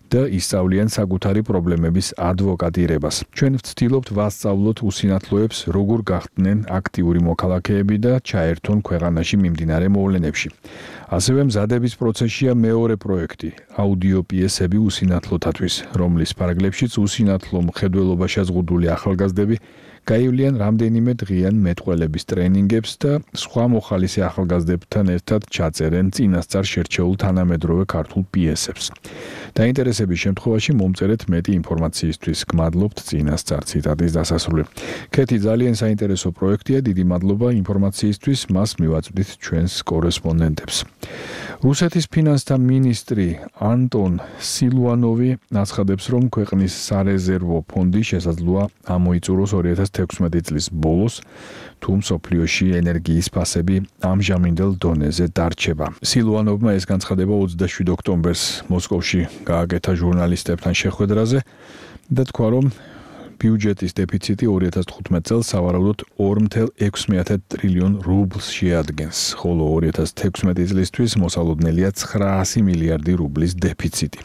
და ისწავლიან საკუთარი პრობლემების ადვოკატირებას. ჩვენ ვცდილობთ ვასწავლოთ უსინათლოებს, როგორ გახდნენ აქტიური მოქალაქეები და ჩაერთონ ქვეყანაში მიმდინარე მოვლენებში. ასევე მზადების პროცესშია მეორე პროექტი, აუდიო პიესები უსინათლოთათვის, რომლის ფარგლებშიც უსინათლო მხედველობა შეზღუდული ახალგაზრდები გაივლიან რამდენიმე დღიან მეტყველების ტრენინგებს და სხვა მოხალისე ახალგაზრდებთან ერთად ჩაწერენ წინასწარ შერჩეულ თანამედროვე ქართულ პიესებს. დაინტერესების შემთხვევაში მომწერეთ მეტი ინფორმაციისთვის. გმადლობთ წინასწარ. ციტატის დასასრული. ქეთი ძალიან საინტერესო პროექტია. დიდი მადლობა ინფორმაციისთვის. მას მივაწვდით ჩვენს კორესპონდენტებს. რუსეთის ფინანსთა მინისტრი ანტონ სილუანოვი აცხადებს, რომ ქვეყნის სარეზერვო ფონდი შესაძლოა ამოიწუროს 2016 წლის ბოლოს, თუ მსოფლიოში ენერგიის ფასები ამჟამინდელ დონეზე დარჩება. სილუანოვმა ეს განცხადება 27 ოქტომბერს მოსკოვში გააკეთა ჟურნალისტებთან შეხვედრაზე და თქვა, რომ ბიუჯეტის დეფიციტი 2015 წელს სავარაუდოდ 2.6 ტრილიონ რუბლს შეადგენს, ხოლო 2016 წლისთვის მოსალოდნელია 900 მილიარდი რუბლის დეფიციტი.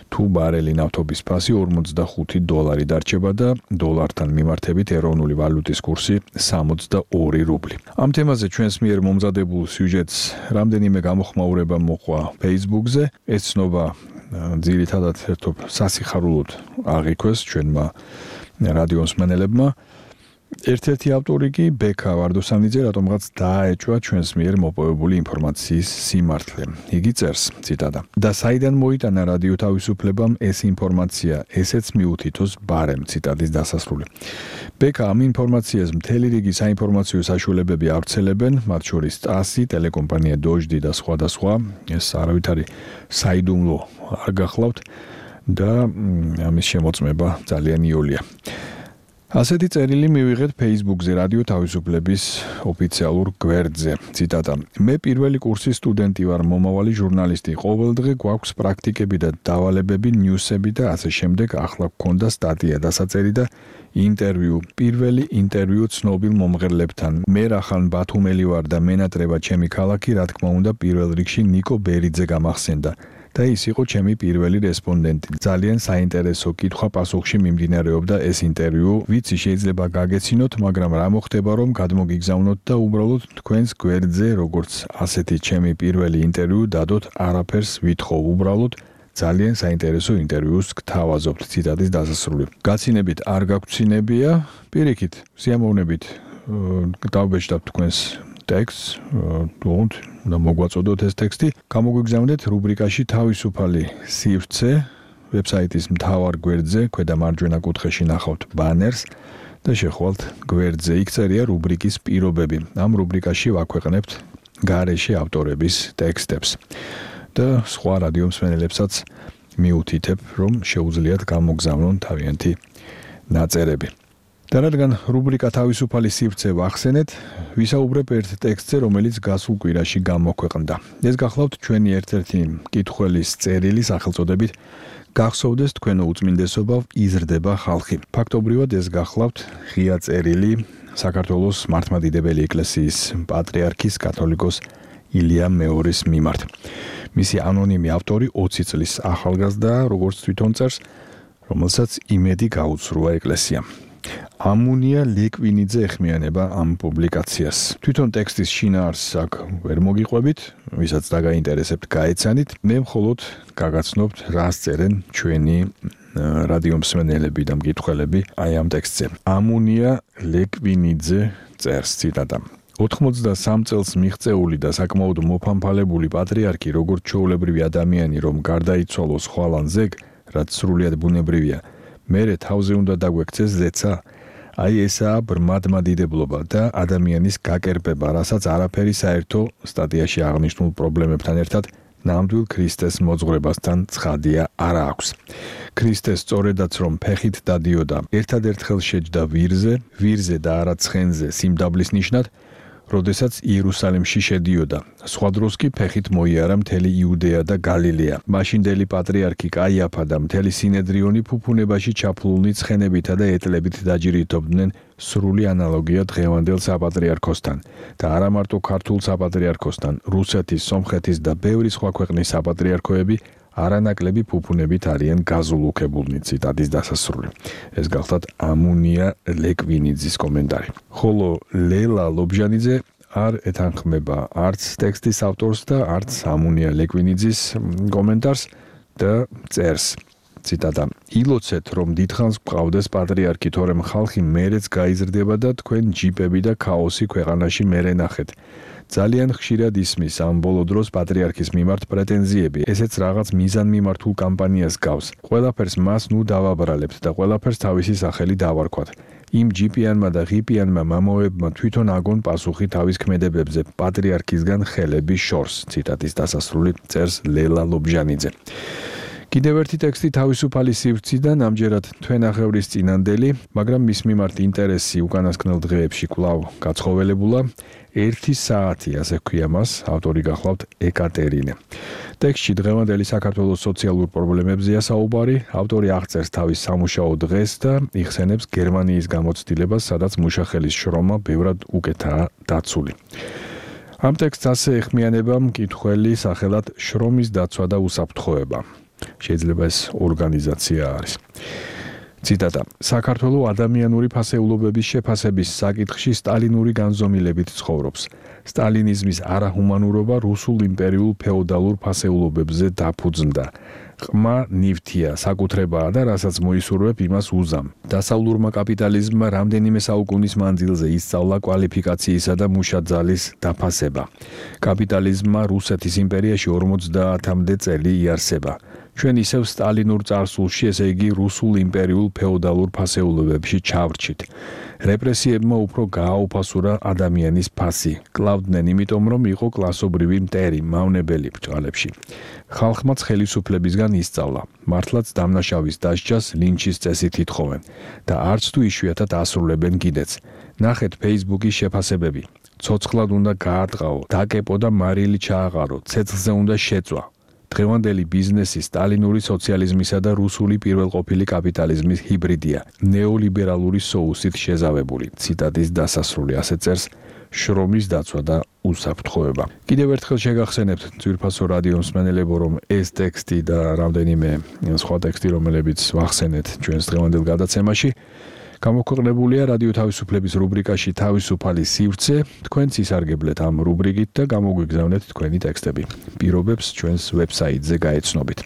თუ ბარელი ნავთობის ფასი 45 დოლარი დარჩება და დოლართან მიმართებით ეროვნული ვალუტის კურსი 62 რუბლი. ამ თემაზე ჩვენს მიერ მომზადებულ სიუჟეტს რამდენიმე გამოხმაურება მოყვა Facebook-ზე. ეს ცნობა ძირითადად ერთობ სასიხარულოდ აღიქვეს ჩვენმა რადიო მსმენელებმა. ერთ-ერთი ავტორი კი ბექა ვარდოსანიძე, რატომღაც დააეჭვა ჩვენს მიერ მოპოვებული ინფორმაციის სიმართლე. იგი წერს, ციტატა: და საიდან მოიტანა რადიო თავისუფლებამ ეს ინფორმაცია, ესეც მიუთითოს ბარემ. ციტატის დასასრული. ბექა ამ ინფორმაციას მთელი რიგი საინფორმაციო საშუალებები ავრცელებენ, მათ შორის ტასი, ტელეკომპანია დოჟდი და სხვა. ეს არავითარი საიდუმლო არ გახლავთ და ამის შემოწმება ძალიან იოლია. ასეთი წერილი მივიღეთ Facebook-ზე რადიო თავისუფლების ოფიციალურ გვერდზე. ციტატა: მე პირველი კურსის სტუდენტი ვარ, მომავალი ჟურნალისტი. ყოველდღე გვაქვს პრაქტიკები და დავალებები, ნიუსები და ასე შემდეგ. ახლა გქონდა სტატია, დასაწერი და ინტერვიუ. პირველი ინტერვიუ ცნობილ მომღერლებთან. მე რახან ბათუმელი ვარ და მენატრება ჩემი ქალაქი, რა თქმა უნდა, პირველ რიგში ნიკო ბერიძე გამახსენდა. და ის იყო ჩემი პირველი რესპონდენტი. ძალიან საინტერესო კითხვა-პასუხში მიმდინარეობდა ეს ინტერვიუ. ვიცი შეიძლება გაგეცინოთ, მაგრამ რა მოხდება რომ გადმოგიგზავნოთ და უბრალოდ თქვენს გვერდზე, როგორც ასეთი ჩემი პირველი ინტერვიუ დადოთ, არაფერს ვითხოვ, უბრალოდ ძალიან საინტერესო ინტერვიუს გთავაზობთ. ციტატის დასასრული. გაცინებით არ გაგვცინებია, პირიქით, სიამოვნებით დავბეჭდავთ თქვენს ტექსტს, და მოგვაწოდოთ ეს ტექსტი. გამოგვიგზავნეთ რუბრიკაში თავისუფალი სივრცე, ვებსაიტის მთავარ გვერდზე, ქვედა მარჯვენა კუთხეში ნახავთ ბანერს და შეხვალთ გვერდზე. იქ წერია რუბრიკის პირობები. ამ რუბრიკაში ვაქვეყნებთ გარეშე ავტორების ტექსტებს. და სხვა რადიო მსმენელებსაც მიუთითებ, რომ შეუძლიათ გამოგზავნონ თავიანთი ნაწერები. და რადგან რუბრიკა თავისუფალი სივრცე ვახსენეთ, ვისაუბრებ ერთ ტექსტზე, რომელიც გასულ კვირაში გამოქვეყნდა. ეს გახლავთ ჩვენი ერთ-ერთი მკითხველის წერილი სახელწოდებით გახსოვდეს თქვენო უწმინდესობა, იზრდება ხალხი. ფაქტობრივად ეს გახლავთ ღია წერილი საქართველოს მართლმადიდებელი ეკლესიის პატრიარქის კათოლიკოს ილია მეორის მიმართ. მისი ანონიმი ავტორი 20 წლის ახალგაზრდაა, როგორც თვითონ წერს, რომელსაც იმედი გაუცრუა ეკლესიამ. ამუნია ლეკვინიძე ეხმიანება ამ პუბლიკაციას. თვითონ ტექსტის შინაარსს აქ ვერ მოგიყვებით, ვისაც დაგაინტერესებთ, გაეცანით. მე მხოლოდ გაგაცნობთ, რას წერენ ჩვენი რადიო მსმენელები და მკითხველები აი ამ ტექსტზე. ამუნია ლეკვინიძე წერს, ციტატა: 83 წელს მიღწეული და საკმაოდ მოფამფალებული პატრიარქი, როგორც ჩვეულებრივი ადამიანი, რომ გარდაიცვალოს ხვალან ზეგ, რაც სრულიად ბუნებრივია, მერე თავზე უნდა დაგვექცეს ზეცა. აი ესაა ბრმადმადიდებლობა და ადამიანის გაკერპება, რასაც არაფერი საერთო სტატიაში აღნიშნულ პრობლემებთან ერთად ნამდვილ ქრისტეს მოძღვრებასთან ცხადია არ აქვს. ქრისტეს სწორედაც რომ ფეხით დადიოდა, ერთადერთხელ შეჯდა ვირზე და არა ცხენზე სიმდაბლის ნიშნად, როდესაც იერუსალიმში შედიოდა. სხვა დროს კი ფეხით მოიარა მთელი იუდეა და გალილეა. მაშინდელი პატრიარქი კაიაფა და მთელი სინედრიონი ფუფუნებაში ჩაფლულნი ცხენებითა და ეტლებით დაჯირითობდნენ, სრული ანალოგია დღევანდელ საპატრიარქოსთან და არა მარტო ქართულ საპატრიარქოსთან, რუსეთის, სომხეთის და ბევრი სხვა ქვეყნის საპატრიარქოები არანაკლები ფუფუნებით არიან გაზულუქებულნი. ციტატის დასასრული. ეს გახლავთ ამუნია ლეკვინიძის კომენტარი. ხოლო ლელა ლობჟანიძე არ ეთანხმება არც ტექსტის ავტორს და არც ამუნია ლეკვინიძის კომენტარს და წერს, ციტატა: ილოცეთ, რომ დიდხანს გყავდეს პატრიარქი, თორემ ხალხი მერეც გაიზრდება და თქვენ ჯიპები და ქაოსი ქვეყანაში მერე ნახეთ. ძალიან ხშირად ისმის ამ ბოლო დროს პატრიარქის მიმართ პრეტენზიები, ესეც რაღაც მიზანმიმართულ კამპანიას გავს. ყველაფერს მას ნუ დავაბრალებთ და ყველაფერს თავისი სახელი დავარქვათ. იმ ჯიპიანმა და ღიპიანმა მამოებმა თვითონ აგონ პასუხი თავის ქმედებებზე პატრიარქისგან ხელების შორს. ციტატის დასასრული წერს ლელა ლობჟანიძე. კიდევ ერთი ტექსტი თავისუფალი სივრციდან, ამჯერად თვენახევრის წინანდელი, მაგრამ მის მიმართ ინტერესი უკანასკნელ დღეებში კვლავ გაცხოველებულა. 1 საათი, ასე ქვია მას, ავტორი გახლავთ ეკატერინე. ტექსტში დღევანდელი საქართველოს სოციალურ პრობლემებზეა საუბარი, ავტორი აღწერს თავის სამუშაო დღეს და იხსენებს გერმანიის გამოცდილებას, სადაც მუშახელის შრომა ბევრად უკეთაა დაცული. ამ ტექსტს ასე ეხმიანება მკითხველი სახელად შრომის დაცვა და უსაფრთხოება. შეიძლება ეს ორგანიზაცია არის. ციტატა: საქართველო ადამიანური ფასეულობების შეფასების საკითხში სტალინური განზომილებით ცხოვრობს. სტალინიზმის არაჰუმანურობა რუსულ იმპერიულ ფეოდალურ ფასეულობებზე დაფუძნდა. ყმა ნივთია, საკუთრებაა და რასაც მოისურვებ, იმას უზამ. დასავლურმა კაპიტალიზმმა რამდენიმე საუკუნის მანძილზე ისწავლა კვალიფიკაციისა და მუშაძალის დაფასება. კაპიტალიზმმა რუსეთის იმპერიაში 50-მდე წელი იარსება. ჩვენ ისევ სტალინურ წარსულში, ესე იგი რუსულ იმპერიულ ფეოდალურ ფასეულობებში ჩავრჩით. რეპრესიებმა უფრო გააუფასურა ადამიანის ფასი. კლავდნენ იმიტომ, რომ იყო კლასობრივი მტერი, მავნებელი ბრჭყალებში. ხალხმაც ხელისუფლებისგან ისწავლა. მართლაც დამნაშავის დასჯას ლინჩის წესით ითხოვენ და არც თუ იშვიათად ასრულებენ კიდეც. ნახეთ Facebook-ის შეფასებები. ცოცხლად უნდა გაარტყაო, დაკეპო და მარილი ჩააყარო, ცეცხლზე უნდა შეწვა. დღევანდელი ბიზნესი სტალინური სოციალიზმისა და რუსული პირველყოფილი კაპიტალიზმის ჰიბრიდია, ნეოლიბერალური соусით შეზავებული. ციტატის დასასრული ასე წერს შრომის დაცვა და უსაფრთხოება. კიდევ ერთხელ შეგახსენებთ ძვირფასო რადიო მსმენელებო, რომ ეს ტექსტი და რამდენიმე სხვა ტექსტი, რომლებიც ვახსენეთ ჩვენს დღევანდელ გადაცემაში, გამოქვეყნებულია რადიო თავისუფლების რუბრიკაში თავისუფალი სივრცე. თქვენც ისარგებლეთ ამ რუბრიკით და გამოგვიგზავნეთ თქვენი ტექსტები. პირობებს ჩვენს ვებსაიტზე გაეცნობით.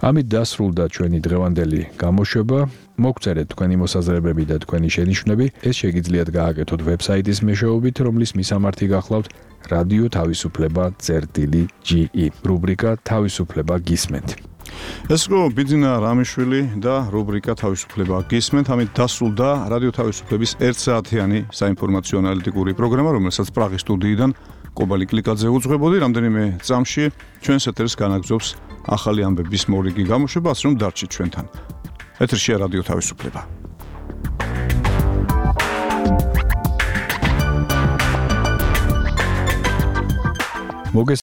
ამით დასრულდა ჩვენი დღევანდელი გამოშვება. მოგწერეთ თქვენი მოსაზრებები და თქვენი შენიშვნები. ეს შეგიძლიათ გააკეთოთ ვებსაიტის მეშვეობით, რომლის მისამართი გახლავთ რადიო თავისუფლება.ge რუბრიკა თავისუფლება გისმენთ. ეს იყო ბიძინა რამიშვილი და რუბრიკა თავისუფლება გისმენთ. ამით დასრულდა რადიო თავისუფლების 1 საათიანი საინფორმაციო ანალიტიკური პროგრამა, რომელსაც პრაღის სტუდიიდან კობალი კლიკაძე უძღვებოდი. რამდენიმე წამში ჩვენს ეთერს განაგზობს ახალი ამბების მორიგი გამოშვება, ასე რომ დარჩით ჩვენთან. ეთერშია რადიო თავისუფლება.